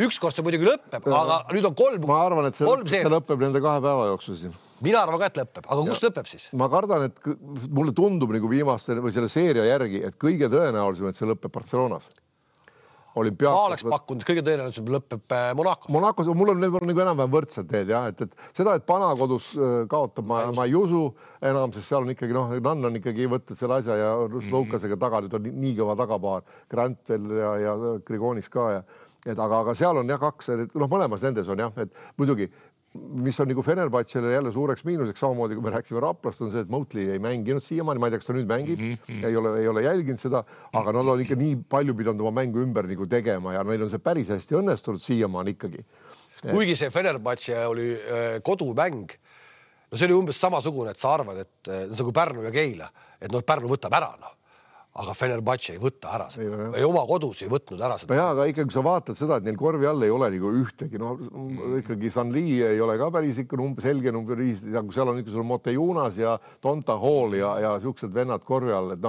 Ükskord see muidugi lõpeb, aga nüüd on 3 seeriat. Ma arvan, et see lõpeb nende 2 päeva jooksul siin. Mina arvan ka, et lõpeb, aga kus lõpeb siis? Ma kardan, et mulle tundub nagu viimaste või selle seeria järgi, et kõige tõenäolisem, et see lõpeb Barcelonas. Ma oleks pakkunud, kõige tõenäoliselt lõpeb Monacos. Monacos, mul on nagu enam-vähem võrdsed teed, jah, et seda, et Pana kodus kaotab, ma ei usu enam, sest seal on ikkagi, Nann on ikkagi võtnud selle asja ja Loukasega taga, nüüd on nii kõva tagapaar, Grantel ja Grigonis ka. Aga seal on 2, mõlemas nendes on et muidugi, mis on nagu Fenerbahčele jälle suureks miinuseks, samamoodi kui me rääksime Raplast, on see, et Motley ei mänginud siiamaani, ma ei tea, kas ta nüüd mängib, ei ole jälginud seda, aga nad on ikka nii palju pidanud oma mängu ümber nagu tegema ja neil on see päris hästi õnnestunud siiamaani ikkagi. Kuigi see Fenerbahče oli kodumäng, see oli umbes samasugune, et sa arvad, et see on kui Pärnu ja Keila, et Pärnu võtab ära, aga Fenerbahče ei võtta ära seda. Ei oma kodus ei võtnud ära seda. Aga ikkagi, kui sa vaatad seda, et neil korvi all ei ole nagu ühtegi, ikkagi Sanli ei ole ka päris ikka selge number 5, kui seal on ikka sul Motejunas ja Tonta Hall ja siuksed vennad korvi all, et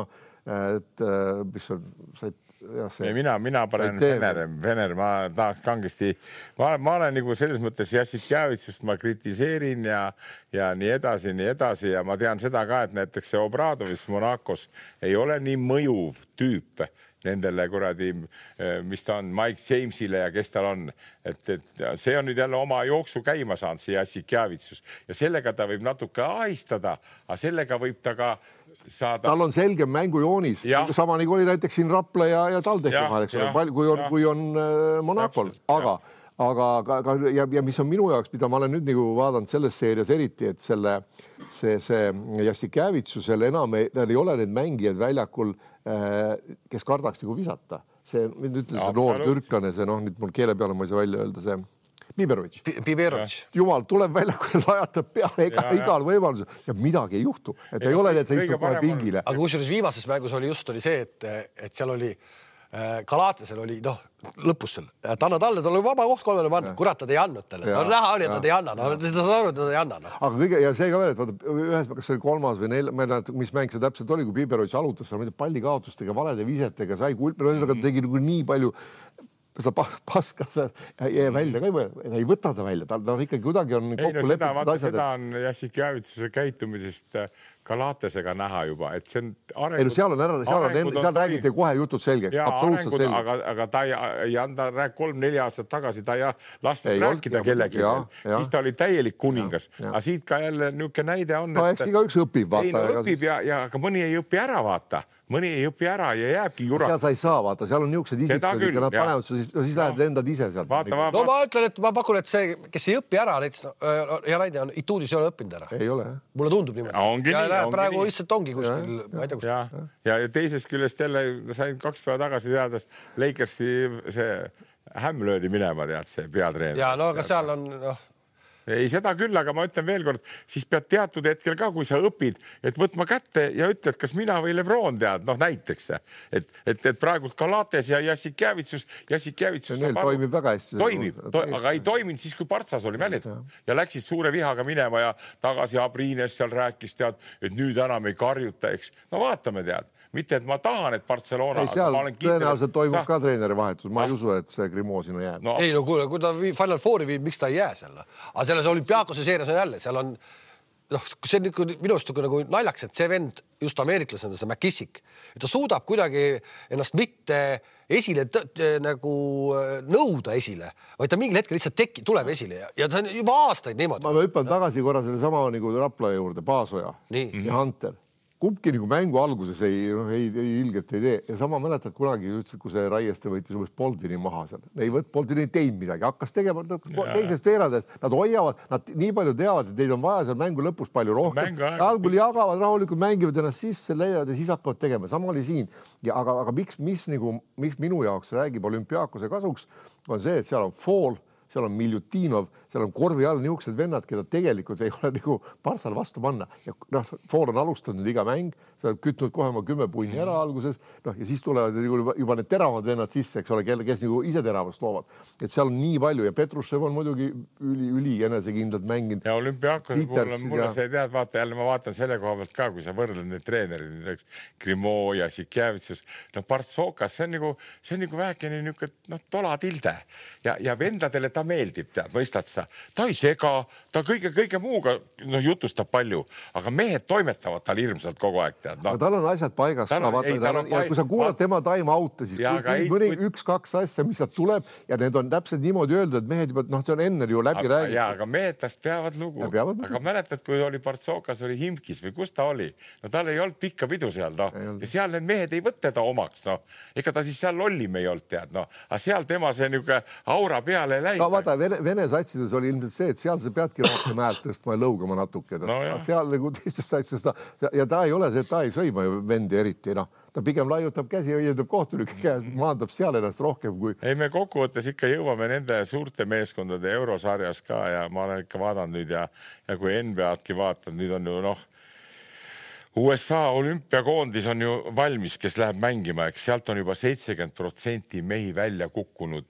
mis on... Mina panen Vener, ma tahaks kangesti, ma olen nagu selles mõttes Jassikjavitsust ma kritiseerin ja nii edasi ja ma tean seda ka, et näiteks see Obradovis Monacos ei ole nii mõjuv tüüp nendele kuradi, mis ta on Mike Jamesile ja kes tal on, et see on nüüd jälle oma jooksu käima saanud, see Jassikjavitsus ja sellega ta võib natuke ahistada, aga sellega võib ta ka saada. Tal on selge mängujoonis, sama nagu oli näiteks siin Rapla ja Taldehi vahel, kui on Monacol, aga mis on minu jaoks, mida ma olen nüüd nagu vaadanud selles seerias eriti, et see Jassikjavitsusel enam ei ole need mängijad väljakul, kes kardaks nagu visata. See, nüüd ütles see noor türklane, see nüüd mul keele peale ma ei saa välja öelda, see Biberovic. Jumal, tuleb väljakul, lajatab peale igal võimalusel ja midagi ei juhtu. Et ei ole, et see istub kohe pingile. Aga kusjuures viimases mängus oli see, et seal oli Galatesel oli, lõpus seal, et anna talle, tal oli vaba koht 3 panna, kurat, nad ei andnud talle. Näha on, et nad ei anna, seda saad aru, et nad ei anna. Aga kõige, ja see ka veel, et vaata, ühes, kas see oli 3. või 4, ma ei näe, mis mäng see täpselt oli, kui Biberovic alutas, pallikaotustega, valede visetega, sai kulpi, tegi nii palju seda paska jäi välja ka ei võta ta välja, ta ikkagi kuidagi on kokku lepitud asjad. Seda on Jassikjavitsuse käitumisest Galatesega näha juba, et see on arengud. Ei, seal räägiti kohe jutud selgeks, absoluutselt selgeks. Aga ta ei anda 3-4 aastat tagasi, ta ei lasnud rääkida kellegi. Siis ta oli täielik kuningas. Aga siit ka jälle niisugune näide on. No eks iga üks õpib, vaata. Õpib ja aga mõni ei õpi ära, vaata. Mõni ei õpi ära ja jääbki jura. Seal sa ei saa, vaata, seal on niisugused isiksused, nad panevad, siis lähed lendad ise sealt. No ma ütlen, et ma pakun, et see, kes ei õpi ära, hea näide on, Ituudis ei ole õppinud ära. Ei ole. Mulle tundub niimoodi. Ja praegu lihtsalt ongi kuskil, ma ei tea kus. Ja teisest küljest jälle sain 2 päeva tagasi teades Lakersi see hämm löödi minema, tead, see peatreener. Ja no aga seal on... Ei seda küll, aga ma ütlen veel kord, siis pead teatud hetkel ka, kui sa õpid, et võtma kätte ja ütled, kas mina või Lebron tead, näiteks. Et praegult Galates ja Jassikjevitsus toimib väga hästi. Aga ei toiminud siis, kui Partsas oli mäled. Ja läksid suure vihaga minema ja tagasi Abrines seal rääkis, tead, et nüüd enam ei karjuta, eks. No vaatame, tead. Mitte, et ma tahan, et Barcelona... Ei, seal tõenäoliselt toimub ka treeneri vahetus. Ma ei usu, et see Grimo sinna jääb. Ei, no kuule, kui ta Final Fouri viib, miks ta ei jää seal? Aga selles Olümpiaakose seerias on jälle, seal on... see on minu arust nagu naljaks, et see vend, just ameeriklasena, see McKissick, et ta suudab kuidagi ennast mitte esile nagu nõuda esile, vaid ta mingil hetkel lihtsalt tuleb esile ja see on juba aastaid niimoodi. Ma hüppan tagasi korra selle sama nagu Rapla juurde, Paasoja ja Hunter. Kumbki nagu mängu alguses ei ilgelt ei tee. Ja sama mäletad kunagi ütlesid, kui see Raieste võitis umbes Boldini maha seal. Boldini ei teinud midagi, hakkas tegema teisest veerandades. Nad hoiavad, nad nii palju teavad, et neil on vaja seal mängu lõpus palju rohkem. Algul jagavad, rahulikult mängivad ennast sisse, leiavad ja siis hakkavad tegema. Sama oli siin. Aga mis minu jaoks räägib Olümpiaakose kasuks, on see, et seal on Fall, seal on Miljutinov, seal on korvi all niisugused vennad, keda tegelikult ei ole nagu Barssal vastu panna. Ja Foor on alustanud iga mäng, sa oled kütnud kohe oma 10 punni ära alguses, ja siis tulevad juba need teravad vennad sisse, eks ole, kes nagu ise teravast loovad. Et seal on nii palju ja Petrushev on muidugi üli enesekindlalt mänginud. Ja Olümpiaakos mulle see tead, vaata jälle ma vaatan selle koha pealt ka, kui sa võrdled need treenerid, Grimo ja Sikjevitsus, Partsokas, see on nagu vähekene niisugune tola tilde ja vendadele ta meeldib, tead, mõistad sa. Ta ei sega, ta kõige muuga jutustab palju, aga mehed toimetavad tal hirmsalt kogu aeg, tead. Aga tal on asjad paigas. Ja kui sa kuulad tema time out'e, siis mõni 1-2 asja, mis sealt tuleb ja need on täpselt niimoodi öeldud, et mehed juba, see on enne ju läbi räägitud. Ja, aga mehed tast peavad lugu. Aga mäletad, kui oli Partsokas, oli Himkis või kus ta oli? No tal ei olnud pikka pidu seal, Ja seal need mehed ei võtte ta omaks, Ega ta siis seal lollim ei olnud, tead, Aga seal tema see niisugune aura peale läi. Vaata, Vene satsides oli ilmselt see, et seal sa peadki rohkem häält tõstma ja lõugama natuke. Seal nagu teistest satsides ja ta ei ole see, et ta ei sõima ju vendi eriti. Ta pigem laiutab käsi ja õiendab kohtunike käes, maandab seal ennast rohkem kui... Ei, me kokkuvõttes ikka jõuame nende suurte meeskondade eurosarjas ka ja ma olen ikka vaadanud nüüd ja kui NBA-dki vaatad, nüüd on ju USA olümpiakoondis on ju valmis, kes läheb mängima, eks sealt on juba 70% mehi välja kukkunud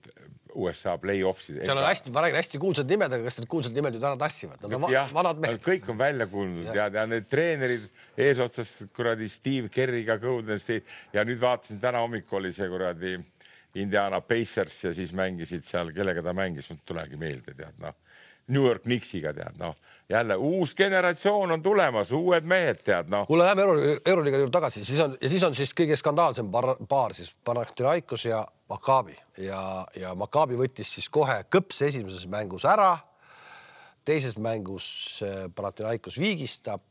USA play-offsid. Seal on hästi kuulsad nimed, aga kas need kuulsad nimed ju täna tassivad? Nad on vanad mehed. Kõik on välja kuulnud ja need treenerid eesotsast kuradi Steve Kerriga, Golden State ja nüüd vaatasin, täna hommikul oli see kuradi Indiana Pacers ja siis mängisid seal, kellega ta mängis, tulegi meelde, tead, New York Knicksiga, tead, jälle uus generatsioon on tulemas, uued mehed, tead, Kuule, läheme Euroliiga juurde tagasi, siis on kõige skandaalsem paar siis Panathinaikos ja Maccabi ja Maccabi võttis siis kohe kõps esimeses mängus ära, teises mängus Panathinaikos viigistab,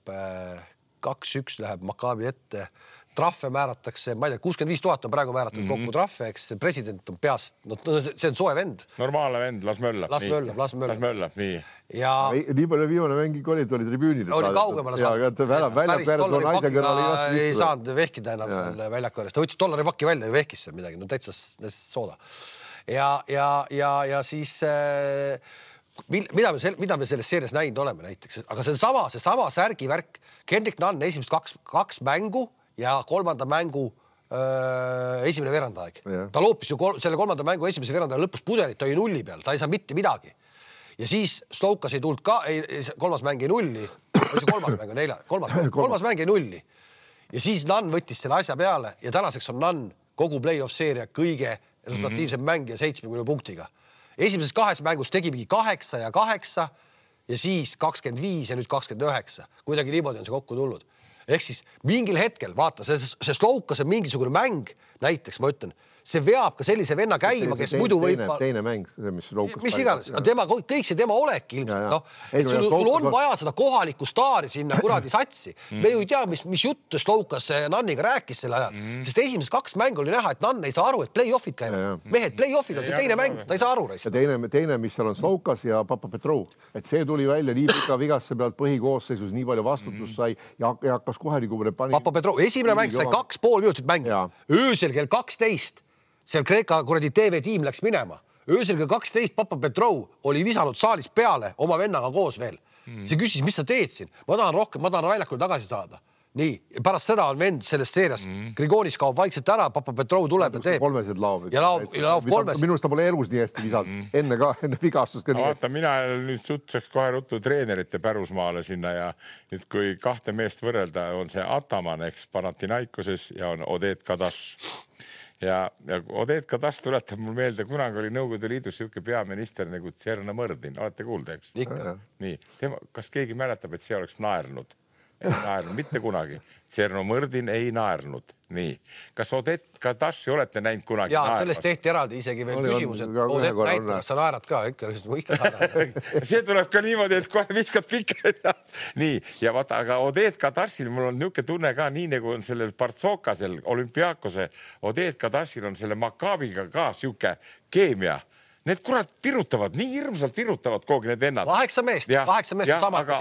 2-1 läheb Maccabi ette, trahve määratakse, ma ei tea, 65 000 on praegu määratud kokku trahve, eks president on peast, see on soe vend. Normaalne vend, las möllab, nii. Ja... Nii palju viimane mängik oli tribüünil. Oli kaugemale ei saanud vehkida enam väljaku äärest. Ta võttis $1 välja ja vehkis seal midagi, täitsa sooda. Ja siis... Mida me selles seerias näinud oleme näiteks, aga see sama särgivärk, Kendrick Nunn esimest kaks mängu ja kolmanda mängu esimene veerandaeg. Ta loopis ju selle kolmanda mängu esimese veerandaeg lõpus pudelit, ta oli nulli peal, ta ei saa mitte midagi. Ja siis Stoukas ei tulnud ka, kolmas mäng ei nulli, kolmas mäng ei nulli. Ja siis Nunn võttis selle asja peale ja tänaseks on Nunn kogu play-off seeria kõige resultatiivsem mängija 70 punktiga. Esimeses 2 mängus tegimegi 8 ja 8 ja siis 25 ja nüüd 29. Kuidagi niimoodi on see kokku tulnud. ehk siis mingil hetkel, vaata, see Slovkas on mingisugune mäng, näiteks ma ütlen, see veab ka sellise venna käima, kes muidu võib... Teine mäng, mis Slovkas... Mis iganes, kõik see tema olek ilmselt, noh, et sul on vaja seda kohalikku staari sinna kuradi satsi. Me ju ei tea, mis juttu Slovkas Nanniga rääkis selle ajal, sest esimesed 2 mängu oli näha, et Nann ei saa aru, et play-offid käivad. Mehed, play-offid on see teine mäng, ta ei saa aru. Ja teine, mis seal on Slovkas ja Papa Petrov, et see tuli välja nii pika vigasse pealt põhikoosseisus, nii palju vastutus sai ja hakkas kohe nagu... Papa Petrov, esimene mäng sai 2,5 minutit mängida. Öösel kell 12 seal Kreeka kuradi TV-tiim läks minema. Öösel kell 12 Papa Petrov oli visanud saalis peale oma vennaga koos veel. See küsis, mis sa teed siin? Ma tahan väljakule tagasi saada. Nii, pärast seda on vend selles seerias. Grigonis kaob vaikselt ära, Papa Petrov tuleb ja teeb. Kolmesed laob. Ja laob kolmes. Minust ta pole elus nii hästi visanud. Enne vigastust ka nii hästi. Vaata, mina nüüd sutsaks kohe ruttu treenerite pärusmaale sinna ja nüüd kui 2 meest võrrelda, on see Ataman, eks Panathinaikoses ja on Odet Kadash. Ja Odet Kadash tuletab mul meelde, kunagi oli Nõukogude Liidus siuke peaminister nagu Tserna Mõrdin. Olete kuulda, eks? Nii. Kas keegi mäletab, et see oleks naernud? Ei naernud, mitte kunagi. Tserno Mõrdin ei naernud. Nii. Kas Odet Kadashi olete näinud kunagi naermas? Sellest tehti eraldi isegi veel küsimus, et Odet näitab, sa naerad ka, ikka naerad. See tuleb ka niimoodi, et kohe viskad pikka. Nii, ja vaata, aga Odet Kadashil mul on niuke tunne ka, nii nagu on sellel Partsokasel, Olümpiakose, Odet Kadashil on selle Makabiga ka siuke keemia. Need kurat pirutavad, nii hirmsalt pirutavad kogu need vennad. 8 meest sama. Aga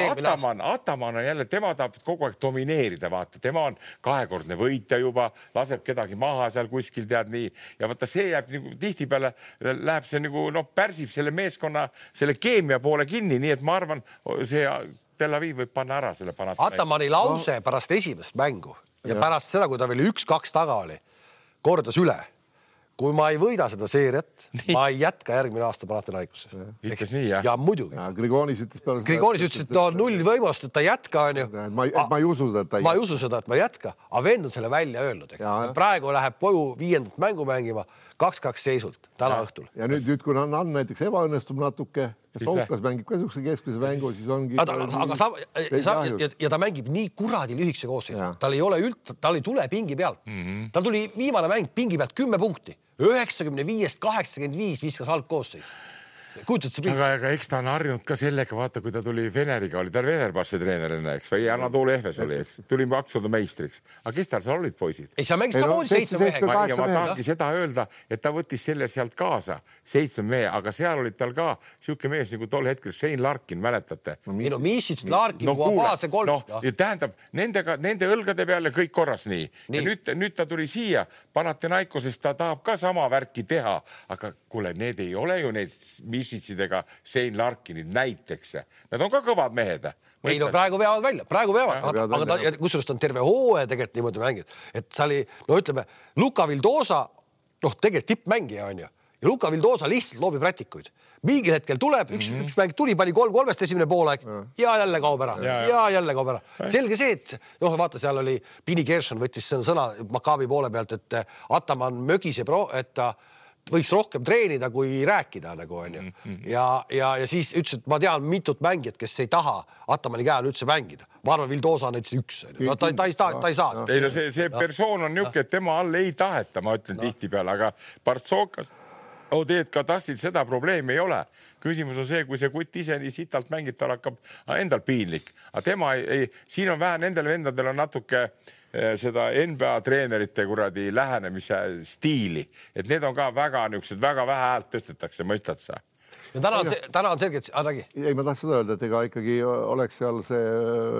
Ataman on jälle, tema tahab kogu aeg domineerida, vaata. Tema on 2-kordne võitja juba, laseb kedagi maha seal kuskil, tead nii. Ja vaata, see jääb nagu tihtipeale, läheb see nagu, pärsib selle meeskonna, selle keemia poole kinni, nii et ma arvan, see Tel Aviv võib panna ära selle Panathinaikose. Atamani lause pärast esimest mängu ja pärast seda, kui ta veel 1-2 taga oli, kordas üle. Kui ma ei võida seda seeriat, ma ei jätka järgmine aasta Panathinaikoses. Ütles nii, jah? Ja muidugi. Grigonis ütles, et on 0 võimalust, et ta jätka, on ju. Ma ei usu seda, ma ei usu seda, et ma jätka. Aga vend on selle välja öelnud, eks. Praegu läheb koju 5. mängu mängima 2-2 seisult täna õhtul. Ja nüüd kui Nann näiteks ebaõnnestub natuke, Slovkas mängib ka niisuguse keskmise mängu, siis ongi... Ja ta mängib nii kuradi lühikese koosseisu. Tal ei tule pingi pealt. Tal tuli viimane mäng pingi pealt 10 punkti. 95-85 viskas halb koosseis. Aga eks ta on harjunud ka sellega, vaata, kui ta tuli Veneriga, oli tal Venerbasse treenerina, eks, või Anatoli Efes oli, eks, tuli Maksuda meistriks. Aga kes tal seal olid, poisid? Ei, sa mängis samamoodi 7 mehega. Ja ma tahangi seda öelda, et ta võttis selle sealt kaasa, 7 mehe, aga seal olid tal ka siuke mees nagu tol hetkel Shane Larkin, mäletate? Miisits, Larkin, Kuabase 3. Tähendab, nende õlgade peale kõik korras nii. Ja nüüd ta tuli siia, Panathinaikosest ta tahab ka sama värki teha, aga kuule, need ei ole ju need Misitsidega Shane Larkinid näiteks. Nad on ka kõvad mehed. Ei, praegu veavad välja. Aga kusjuures on terve hooaja tegelikult niimoodi mängid. Et sa oli, ütleme, Luka Vildosa, tegelikult tippmängija on ju. Ja Luka Vildosa lihtsalt loobib rätikuid. Mingil hetkel tuleb, üks mäng tuli, pani 3-3 esimene poolaeg ja jälle kaob ära. Ja jälle kaob ära. Selge see, et vaata, seal oli Pini Gershon võttis sõna Makabi poole pealt, et Ataman mögiseb, et ta võiks rohkem treenida, kui rääkida nagu on ju. Ja siis ütles, et ma tean mitut mängijat, kes ei taha Atamani käel üldse mängida. Ma arvan, Vildosa on näiteks üks. Ta ei saa. Ei, no see persoon on niuke, et tema all ei taheta, ma ütlen tihtipeale, aga Partsokas, Odet Kadashil seda probleemi ei ole. Küsimus on see, kui see kutt ise nii sitalt mängib, tal hakkab endal piinlik. Aga tema ei, siin on vähe, nendel vendadel on natuke seda NBA treenerite kuradi lähenemise stiili, et need on ka väga niisugused, väga vähe häält tõstetakse, mõistad sa? Ja täna on selge, et... Ei, ma tahtsin seda öelda, et ega ikkagi oleks seal see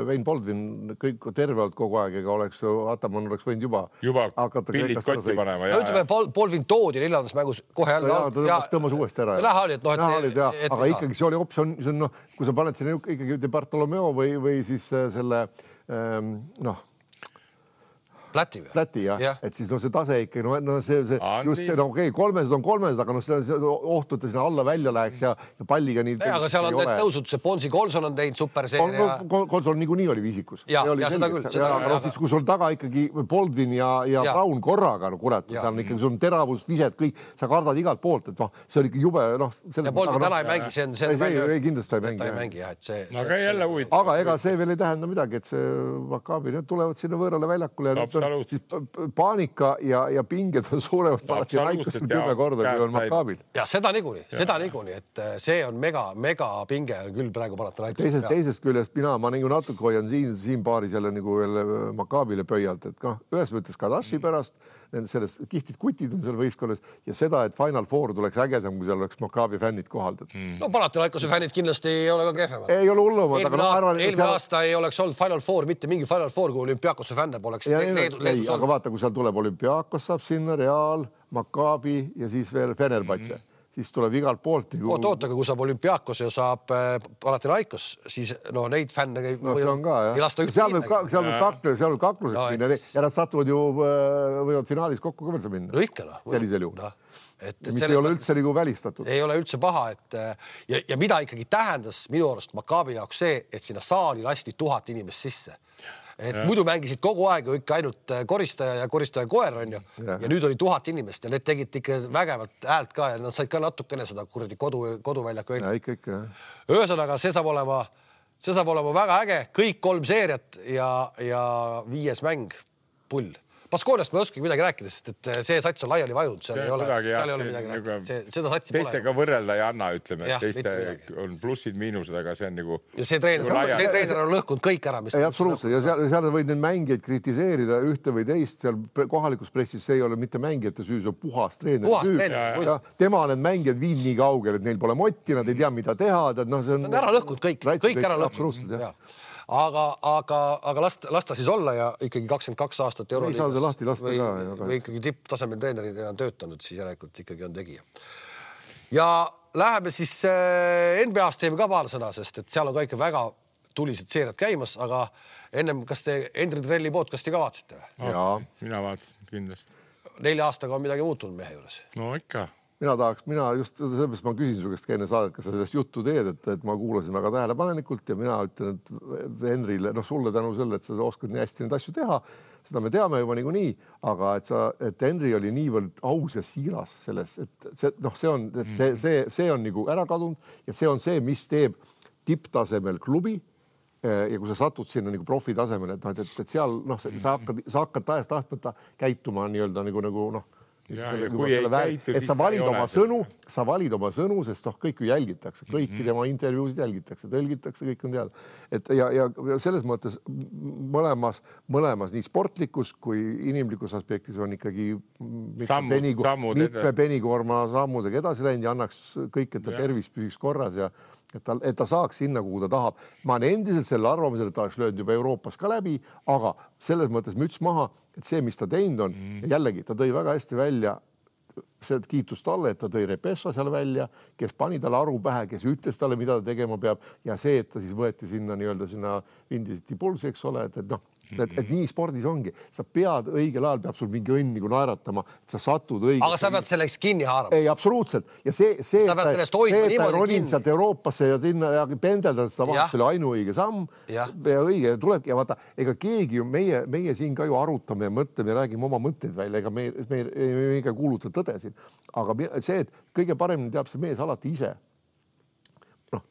Wayne Baldwin kõik tervelt kogu aeg, ega oleks Ataman oleks võinud juba pillid kotti panema. No ütleme, Baldwin toodi 4. mängus kohe jälle. Ta tõmbas uuesti ära. Aga ikkagi see oli optsioon, kui sa paned sinna ikkagi Bartolomeo või siis selle Läti jah. Et siis see tase ikka, no see just see, no okei, 300 on 300, aga see ohtu, et sinna alla välja läheks ja palliga nii. Aga seal on tõusud, see Bonsi Colson on teinud superseeria. Colson niikuinii oli viisikus. Ja seda küll. Aga siis, kui sul taga ikkagi Baldwin ja Brown korraga, kurat, seal on ikkagi sul teravus, vised, kõik, sa kardad igalt poolt, et see oli ikka jube, ja Baldwin täna ei mängi, see kindlasti ei mängi. Aga jälle huvitav. Aga ega see veel ei tähenda midagi, et see Maccabi, need tulevad sinna võõrale väljakule ja siis paanika ja pinged on suuremad alati Raikos 10 korda, kui on Maccabil. Ja seda niikuinii, et see on mega pinge küll praegu panata Raikos. Teisest küljest ma nagu natuke hoian siin paaris jälle nagu Maccabile pöialt, et ühes mõttes Kadashi pärast, sellest kihted kutid on seal võistkonnas ja seda, et Final Four tuleks ägedam, kui seal oleks Maccabi fännid kohaldad. No Panathinaikose fännid kindlasti ei ole ka kehvemad. Ei ole hullumad. Eelmine aasta ei oleks olnud Final Four, mitte mingi Final Four, kui Olümpiakose fänne poleks. Aga vaata, kui seal tuleb Olümpiakos, saab sinna Real, Maccabi ja siis veel Fenerbahce. Siis tuleb igalt poolt. Oota, kui saab Olümpiakos ja saab Panathinaikos, siis neid fänne ei lasta üldse minna. Seal on kakluseks minna ja nad satuvad ju võivad finaalis kokku ka veel minna. No ikka. Sellisel juhul. Mis ei ole üldse nagu välistatud. Ei ole üldse paha. Ja mida ikkagi tähendas minu arust Maccabi jaoks see, et sinna saali lasti 1000 inimest sisse. Muidu mängisid kogu aeg ju ikka ainult koristaja ja koristaja koer on ju. Ja nüüd oli 1000 inimest ja need tegid ikka vägevalt häält ka ja nad said ka natukene seda kuradi koduväljaku välja. Ikka. Ühesõnaga, see saab olema väga äge, kõik 3 seeriat ja 5. mäng pull. Baskooniast ma ei oskagi midagi rääkida, sest et see sats on laiali vajunud, seal ei ole midagi rääkida. Seda satsi pole. Teistega võrrelda ei anna, ütleme, et teiste on plussid, miinused, aga see on nagu... Ja see treener on lõhkunud kõik ära, mis... Ei, absoluutselt, ja seal võid neid mängijaid kritiseerida ühte või teist, seal kohalikus pressis see ei ole mitte mängijate süü, see on puhas treener. Tema need mängijad viin nii kaugel, et neil pole motti, nad ei tea, mida teha. See on ära lõhkunud kõik ära lõhkunud. Aga lasta siis olla ja ikkagi 22 aastat Euroliigas või ikkagi tipptasemel treenerid on töötanud, siis järelikult ikkagi on tegija. Ja läheme siis NBA-st teeme ka paar sõna, sest et seal on ka ikka väga tulised seeriad käimas, aga ennem, kas te Hendrik Trelli podcasti ka vaatasite? Jaa. Mina vaatasin kindlasti. 4 aastaga on midagi muutunud mehe juures. No ikka. Mina just sellepärast ma küsin su käest enne saadet, kas sa sellest juttu teed, et ma kuulasin väga tähelepanelikult ja mina ütlen, et Henrile, sulle tänu selle, et sa oskad nii hästi neid asju teha, seda me teame juba niikuinii, aga et Henri oli niivõrd aus ja siiras selles, et see on nagu ära kadunud ja see on see, mis teeb tipptasemel klubi ja kui sa satud sinna nagu profi tasemel, et seal sa hakkad täiesti tahtmata käituma nii-öelda nagu et sa valid oma sõnu, sest kõik ju jälgitakse, kõiki tema intervjuusid jälgitakse, tõlgitakse, kõik on teada. Ja selles mõttes mõlemas nii sportlikus kui inimlikus aspektis on ikkagi mitme penikoorma sammudega edasi läinud ja annaks kõik, et ta tervis püsiks korras ja et ta saaks sinna, kuhu ta tahab. Ma olen endiselt selle arvamisel, et ta oleks löönud juba Euroopas ka läbi, aga selles mõttes müts maha, et see, mis ta teinud on, ja jällegi, ta tõi väga hästi välja see kiitus talle, et ta tõi Repessa seal välja, kes pani talle aru pähe, kes ütles talle, mida ta tegema peab ja see, et ta siis võeti sinna nii-öelda sinna Vindisiti pulsi, eks ole, et nii spordis ongi. Sa pead õigel ajal, peab sul mingi õnn nagu naeratama, et sa satud õigel. Aga sa pead selleks kinni haarama. Ei, absoluutselt. Ja see ta ronid sealt Euroopasse ja pendeldad seda vahest, see oli ainuõige samm ja õige tulebki. Ja vaata, ega keegi ju meie siin ka ju arutame ja mõtleme ja räägime oma mõtteid välja, ega me ei kuuluta tõde siin. Aga see, et kõige paremini teab see mees alati ise.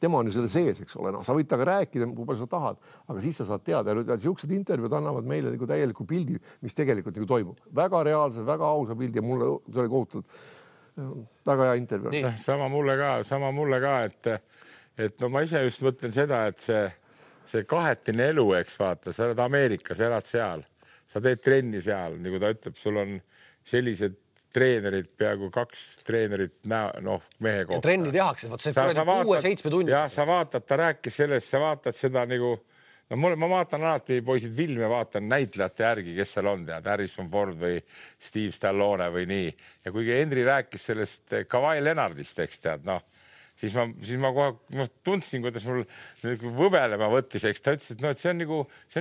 Tema on ju selle sees, eks ole. Sa võid taga rääkida, kui palju sa tahad, aga siis sa saad teada. Ja siuksed intervjuud annavad meile nagu täieliku pildi, mis tegelikult nagu toimub. Väga reaalse, väga ausa pildi ja mulle see oli kohutult. Väga hea intervju. Sama mulle ka, et ma ise just mõtlen seda, et see kahetine elu, eks vaata, sa oled Ameerikas, elad seal, sa teed trenni seal, nagu ta ütleb, sul on sellised treenerid, peaaegu 2 treenerit mehe kohta. Ja trenni tehakse, see 6-7 tunni. Ja sa vaatad, ta rääkis sellest, sa vaatad seda nagu, ma vaatan alati poisid filme, vaatan näitlejate järgi, kes seal on, tead, Harrison Ford või Steve Stallone või nii. Ja kuigi Henri rääkis sellest Kawhi Leonardist, eks tead, siis ma kohe tundsin, kuidas mul võbelema võttis, eks ta ütles, et see on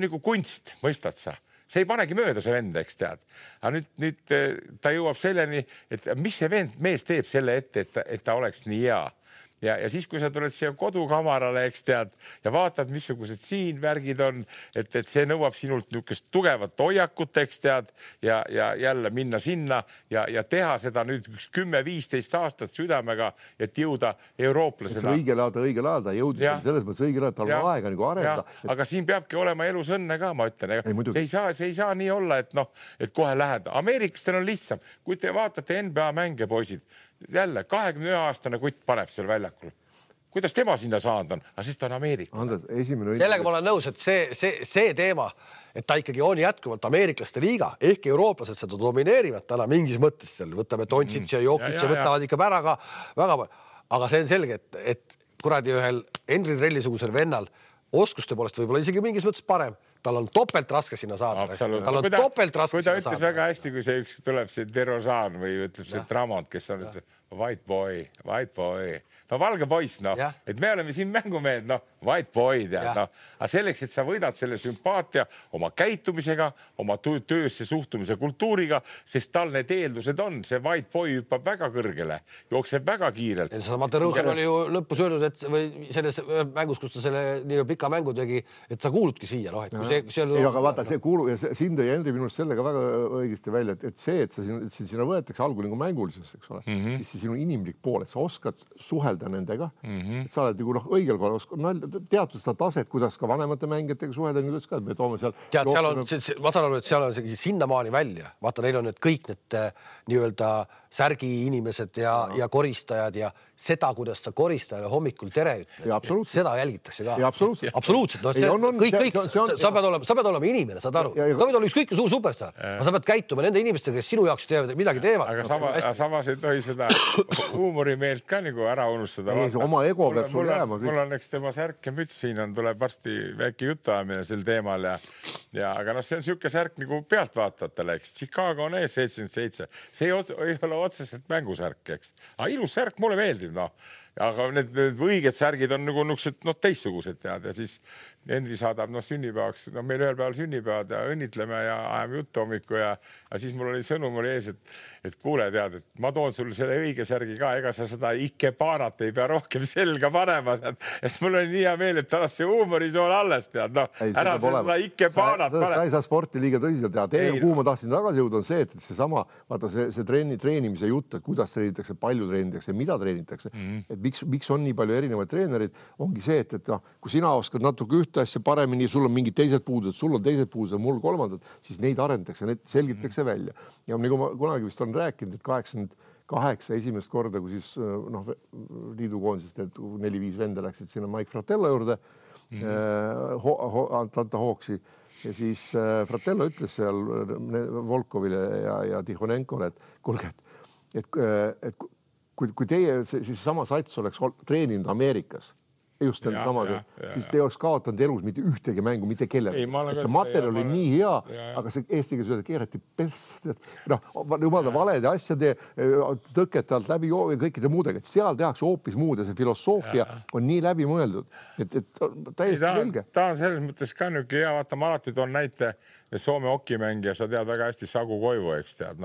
nagu kunst, mõistad sa. see ei panegi mööda see vend, eks tead. Aga nüüd ta jõuab selleni, et mis see mees teeb selle ette, et ta oleks nii hea. Ja siis, kui sa tuled siia kodukamarale, eks tead, ja vaatad, missugused siin värgid on, et see nõuab sinult niisugust tugevat hoiakut, eks tead, ja jälle minna sinna ja teha seda nüüd 10-15 aastat südamega, et jõuda eurooplasena. Õigel ajal ta jõudis, selles mõttes õigel ajal, tal on aega nagu arenda. Aga siin peabki olema elus õnne ka, ma ütlen. See ei saa nii olla, et kohe lähed. Ameeriklastel on lihtsam. Kui te vaatate NBA mänge, poisid, jälle 21-aastane kutt paneb seal väljakul. Kuidas tema sinna saanud on? Aga siis ta on Ameerika. Sellega ma olen nõus, et see teema, et ta ikkagi on jätkuvalt ameeriklaste liiga, ehk eurooplased seda domineerivad täna mingis mõttes seal. Võtame Doncic ja Jokic ja võtavad ikka väga palju. Aga see on selge, et kuradi ühel Henry Trellisugusel vennal oskuste poolest võib-olla isegi mingis mõttes parem. Tal on topelt raske sinna saada. Tal on topelt raske sinna saada. Kui ta ütles väga hästi, kui see üks tuleb see Derozan või ütleb see Dramont, kes on white boy. No valge poiss, et me oleme siin mängumehed, white boy, aga selleks, et sa võidad selle sümpaatia oma käitumisega, oma töösse suhtumise kultuuriga, sest tal need eeldused on, see white boy hüppab väga kõrgele, jookseb väga kiirelt. Mate Rõusen oli ju lõpus öelnud, et või selles mängus, kus ta selle nii pika mängu tegi, et sa kuuludki siia, aga vaata, see kuulu ja sind tõi Henri minust sellega väga õigesti välja, et see, et sinna võetakse algul nagu mängulisus, eks ole, siis see sinu inimlik pool, et sa oskad suhelda nendega, et sa oled nagu õigel korral, teatud seda taset, kuidas ka vanemate mängijatega suhelda, nüüd ütles ka, et me toome seal. Tead, seal on, ma saan aru, et seal on sinnamaani välja. Vaata, neil on need kõik need nii-öelda särgi inimesed ja koristajad ja seda, kuidas sa koristajale hommikul tere ütled. Seda jälgitakse ka. Absoluutselt. Sa pead olema inimene, saad aru. Sa pead olema ükskõik suur superstar. Sa pead käituma nende inimestega, kes sinu jaoks midagi teevad. Aga samas ei tohi seda huumorimeelt ka nagu ära unustada. Oma ego peab sul jääma. Mul on eks tema särk ja müts, siin tuleb varsti väike jutuajamine sel teemal. Aga see on siuke särk nagu pealtvaatajatele, eks. Chicago on ees 77. See ei ole otseselt mängusärk, eks. Aga ilus särk mulle meeldib, Aga need õiged särgid on nagu teistsugused tead ja siis Henri saadab sünnipäevaks, meil ühel päeval sünnipäevad ja õnnitleme ja ajame juttu hommiku ja siis mul oli sõnum oli ees, et kuule tead, et ma toon sulle selle õige särgi ka, ega sa seda Ikepaanat ei pea rohkem selga panema, sest mul oli nii hea meel, et tal on see huumorisool alles tead, ära seda Ikepaanat pane. Sa ei saa sporti liiga tõsiselt teha, kuhu ma tahtsin tagasi jõuda on see, et seesama, vaata see treenimise jutt, et kuidas treenitakse, palju treenitakse, mida treenitakse, et miks on nii palju erinevaid treenerid, ongi see, et kui sina oskad natuke ühte asja paremini, sul on mingid teised puudused, sul on teised puudused, mul kolmandad, siis neid arendatakse, neid selgitakse välja. Ja nagu ma kunagi vist on rääkinud, et 88 esimest korda, kui siis liidukoondisest 4-5 venda läksid sinna Mike Fratello juurde, Atlanta Hawksi, ja siis Fratello ütles seal Volkovile ja Tihonenkole, et kuulge, et kui teie siis sama sats oleks treeninud Ameerikas, just samaga, siis te oleks kaotanud elus mitte ühtegi mängu, mitte kellele. See materjal oli nii hea, aga see eesti keeles keerati persse. Jumala valede asjade tõkete alt läbi ja kõikide muudega. Et seal tehakse hoopis muud ja see filosoofia on nii läbi mõeldud. Et täiesti selge. Ta on selles mõttes ka nüüd hea, vaata, ma alati toon näite Soome hokimängija, sa tead väga hästi Sagu Koivu, eks tead,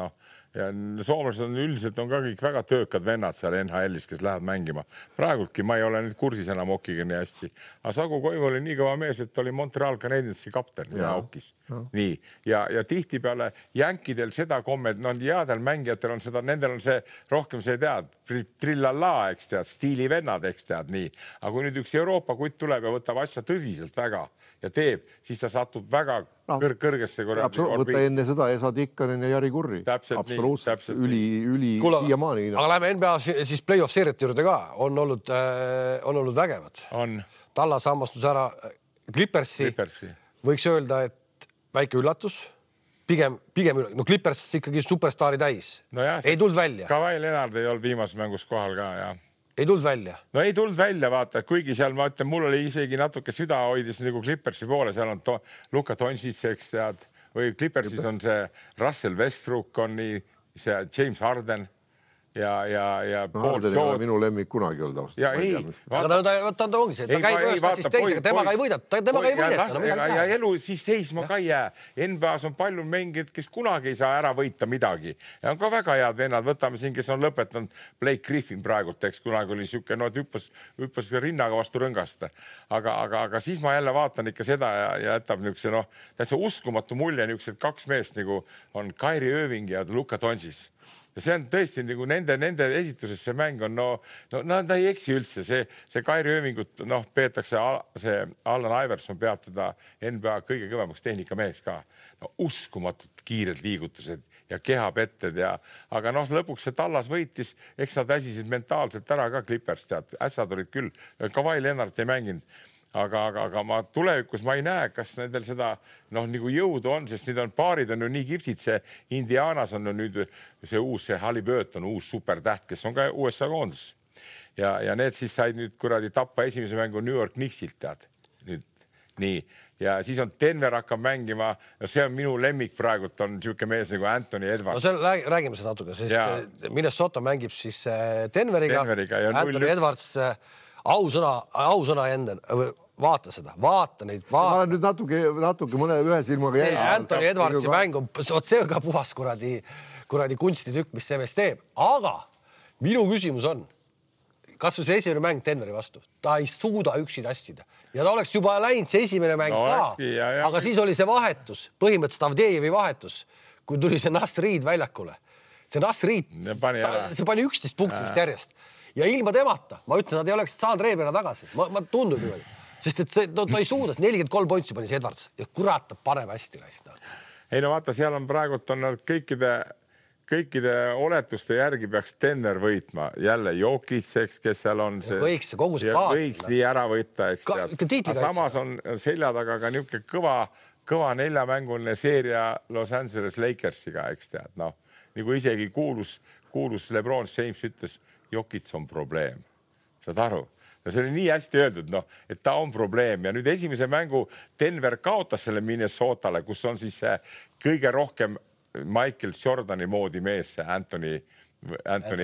ja soomlased on üldiselt on ka kõik väga töökad vennad seal NHL-is, kes lähevad mängima. Praegultki ma ei ole nüüd kursis enam hokiga nii hästi. Aga Sagu Koivu oli nii kõva mees, et oli Montreal Canadiensi kapten ja hokis. Nii. Ja tihtipeale jänkidel seda kommet, headel mängijatel on seda, nendel on see rohkem see tead, trillallaa, eks tead, stiilivennad, eks tead, nii. Aga kui nüüd üks Euroopa kutt tuleb ja võtab asja tõsiselt väga ja teeb, siis ta satub väga kõrgesse võtta enne seda Esa Tikkanen ja Jari Kurri. Absoluutselt. Üli siiamaani. Aga läheme NBA siis play-off seeriate juurde ka. On olnud vägevad. Tallas hammastus ära Clippersi. Võiks öelda, et väike üllatus. Pigem Clippers ikkagi superstaari täis. Ei tulnud välja. Kawhi Leonard ei olnud viimases mängus kohal ka, jah. Ei tulnud välja? No ei tulnud välja, vaata, kuigi seal ma ütlen, mul oli isegi natuke süda hoidis nagu Clippersi poole, seal on Luka Doncic, eks tead, või Clippersis on see Russell Westbrook, on nii see James Harden ja minu lemmik kunagi olnud ausalt. Aga ta ongi see, ta käib ühest asjast teisega, temaga ei võideta. Ja elu siis seisma ka ei jää. NBA-s on palju mängijad, kes kunagi ei saa ära võita midagi. Ja on ka väga head vennad. Võtame siin, kes on lõpetanud Blake Griffin praegult, eks kunagi oli siuke, no hüppas rinnaga vastu rõngast. Aga siis ma jälle vaatan ikka seda ja jätab niukse, täitsa uskumatu mulje niuksed 2 meest nagu on Kyrie Irving ja Luka Doncic. Ja see on tõesti nagu nende esituses see mäng on, ta ei eksi üldse. See Kyrie Irvingut, peetakse, see Allan Iverson peab teda NBA kõige kõvemaks tehnikameheks ka. Uskumatult kiired liigutused ja kehapetted aga lõpuks see Tallas võitis, eks nad väsisid mentaalselt ära ka Clippers, tead, ässad olid küll, Kawhi Leonard ei mänginud. Aga ma tulevikus ma ei näe, kas nendel seda nagu jõudu on, sest need on paarid on ju nii kihvtid. See Indianas on nüüd see Halliburton, uus supertäht, kes on ka USA koondis. Ja need siis said nüüd kuradi tappa esimese mängu New York Knicksilt, tead. Nüüd nii. Ja siis on Denver hakkab mängima, see on minu lemmik praegult, on siuke mees nagu Anthony Edwards. Räägime seda natuke, sest Minnesota mängib siis Denveriga Anthony Edwards ausõna enda, vaata seda, vaata neid. Ma olen nüüd natuke mõne ühe silmaga jäi. Anthony Edwardsi mäng on, see on ka puhas kuradi kunstitükk, mis see mees teeb. Aga minu küsimus on, kas see esimene mäng Denveri vastu, ta ei suuda üksi tassida. Ja ta oleks juba läinud see esimene mäng ka, aga siis oli see vahetus, põhimõtteliselt Avdejevi vahetus, kui tuli see Nast Reed väljakule. See Nast Reed, see pani 11 punktist järjest. Ja ilma temata, ma ütlen, nad ei oleks saanud reebena tagasi. Ma tundub niimoodi. Sest et ta ei suudas, 43 pointsi pani see Edwards ja kurat, ta paneb hästi raista. Ei vaata, seal on praegult on kõikide oletuste järgi peaks Denver võitma. Jälle Jokic, kes seal on see. Võiks see kogu see paad. Võiks nii ära võtta, eks. Samas on selja taga ka niuke kõva 4-mänguline seeria Los Angeles Lakersiga, eks tead. Nagu isegi kuulus LeBron James ütles, Jokic on probleem. Saad aru? Ja see oli nii hästi öeldud, et ta on probleem. Ja nüüd esimese mängu Denver kaotas selle Minnesotale, kus on siis see kõige rohkem Michael Jordani moodi mees, see Anthony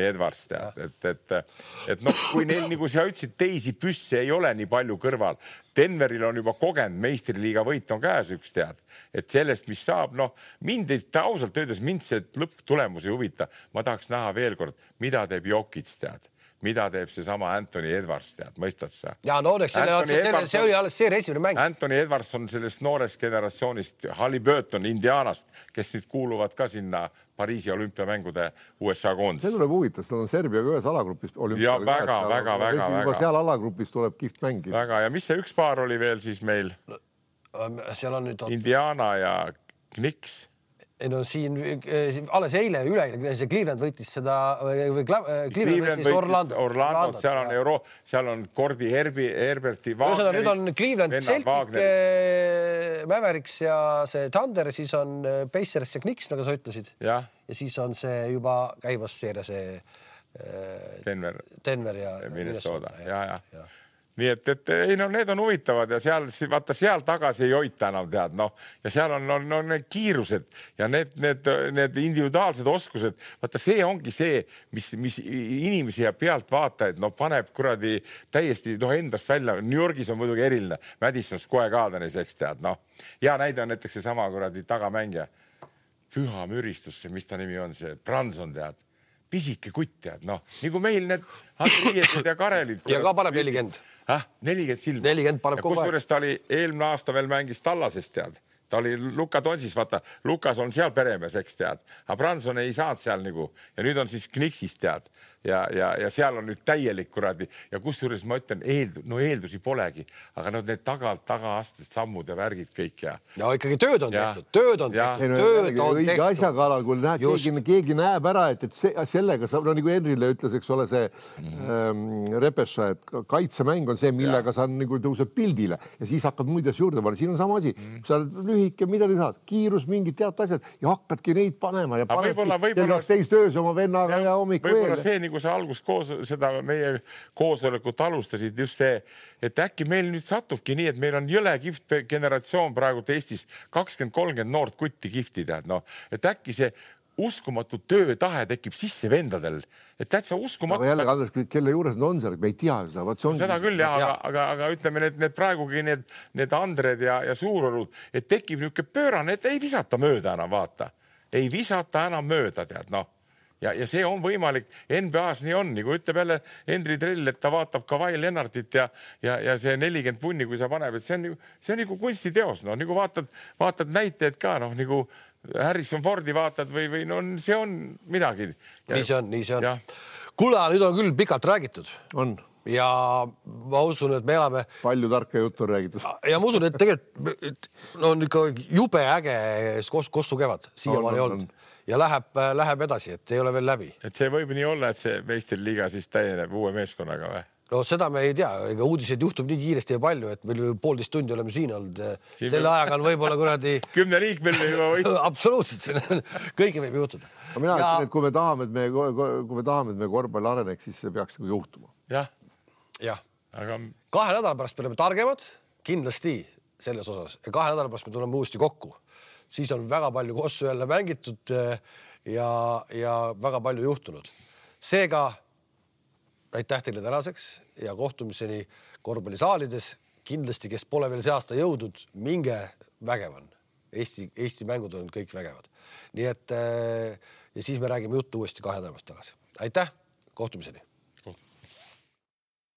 Edwards. Kui neil, nagu sa ütlesid, teisi püsse ei ole nii palju kõrval. Denveril on juba kogenud, meistriliiga võit on käes üks tead. Et sellest, mis saab, mind ausalt öeldes mind see lõpptulemus ei huvita. Ma tahaks näha veel kord, mida teeb Jokic tead. Mida teeb see sama Anthony Edwards tead, mõistad sa? Ja see oli alles see esimene mäng. Anthony Edwards on sellest noorest generatsioonist Halliburton Indianast, kes nüüd kuuluvad ka sinna Pariisi olümpiamängude USA koondis. See tuleb huvitav, nad on Serbiaga ühes alagrupis. Ja väga. Juba seal alagrupis tuleb kihvt mängi. Väga, ja mis see üks paar oli veel siis meil? Seal on nüüd Indiana ja Knicks. Siin alles eile see Cleveland võitis seda Cleveland võitis Orlando. Seal on Cordy Herberti Wagner. Nüüd on Cleveland, Celtic, Mavericks ja see Thunder, siis on Pacers ja Knicks, nagu sa ütlesid. Ja siis on see juba käibas seeria see Denver ja Minnesota. Ja. Nii et need on huvitavad ja seal tagasi ei hoita enam tead, ja seal on need kiirused ja need individuaalsed oskused, vaata see ongi see, mis inimesi ja pealt vaatajaid paneb kuradi täiesti endast välja. New Yorgis on muidugi eriline, Madison Square Gardenis, eks tead, ja näide on näiteks see sama kuradi tagamängija, püha müristusse, mis ta nimi on, see Branson tead, pisike kutt tead, nagu meil need Andriiesed ja Karelid. Ja ka paneb 40. 40 silma. 40 paneb kogu aeg. Kusjuures ta oli eelmine aasta veel mängis Tallasest tead. Ta oli Luka Doncic, vaata, Lukas on seal peremees, eks tead. Aga Branson ei saanud seal nagu. Ja nüüd on siis Knicksist tead. Ja seal on nüüd täielik kuradi. Ja kusjuures ma ütlen, eeldusi polegi. Aga need tagaasted, sammud ja värgid kõik. Ja ikkagi tööd on tehtud. Õige asjaga alal, kui keegi näeb ära, et sellega saab, nagu Henrile ütles, eks ole see Repessa, et kaitsemäng on see, millega sa nagu tõuseb pildile ja siis hakkad muid asju juurde panna. Siin on sama asi. Sa oled lühike, mida te saad? Kiirus, mingid teatud asjad ja hakkadki neid panema ja panedki teist öös oma vennaga ja hommik veel. See, nagu sa algus seda meie koosolekut alustasid, just see, et äkki meil nüüd satubki nii, et meil on jõle kihvt generatsioon praegu Eestis 20-30 noort kutti kihvti tead, et äkki see uskumatu töötahe tekib sisse vendadel, et täitsa uskumatu. Aga jälle, Andres, kelle juures need on seal, me ei tea seda. Seda küll, aga ütleme, need praegugi need Andred ja Suurorud, et tekib niisugune pöörane, et ei visata mööda enam, vaata. Ei visata enam mööda, tead, noh. Ja see on võimalik, NBA-s nii on, nagu ütleb jälle Henri Trell, et ta vaatab ka Vail Lennartit ja see 40 punni, kui sa paneb, et see on nagu kunstiteos, no nagu vaatad näiteid ka, noh nagu Harrison Fordi vaatad või no see on midagi. Nii see on. Kuule, nüüd on küll pikalt räägitud. On. Ja ma usun, et me elame... Palju tarka juttu on räägitud. Ja ma usun, et tegelikult on ikka jube äge Kossu kevad. Siiamaani olnud. Ja läheb edasi, et ei ole veel läbi. Et see võib nii olla, et see meistriliiga siis täieneb uue meeskonnaga või? No seda me ei tea, ega uudiseid juhtub nii kiiresti ja palju, et meil 1,5 tundi oleme siin olnud. Selle ajaga on võib-olla kuradi... 10 liikmel juba võit. Absoluutselt, kõige võib juhtuda. Mina ütlen, et kui me tahame, et me korvpalli areneks, siis see peaks juhtuma. Jah. Aga... 2 nädala pärast me oleme targemad, kindlasti selles osas. Ja 2 nädala pärast me tuleme uuesti kokku. Siis on väga palju Kossu jälle mängitud ja väga palju juhtunud. Seega aitäh teile tänaseks ja kohtumiseni korvpallisaalides. Kindlasti, kes pole veel see aasta jõudnud, minge vägevan. Eesti mängud on kõik vägevad. Nii et ja siis me räägime juttu uuesti 2 nädala pärast tagasi. Aitäh, kohtumiseni!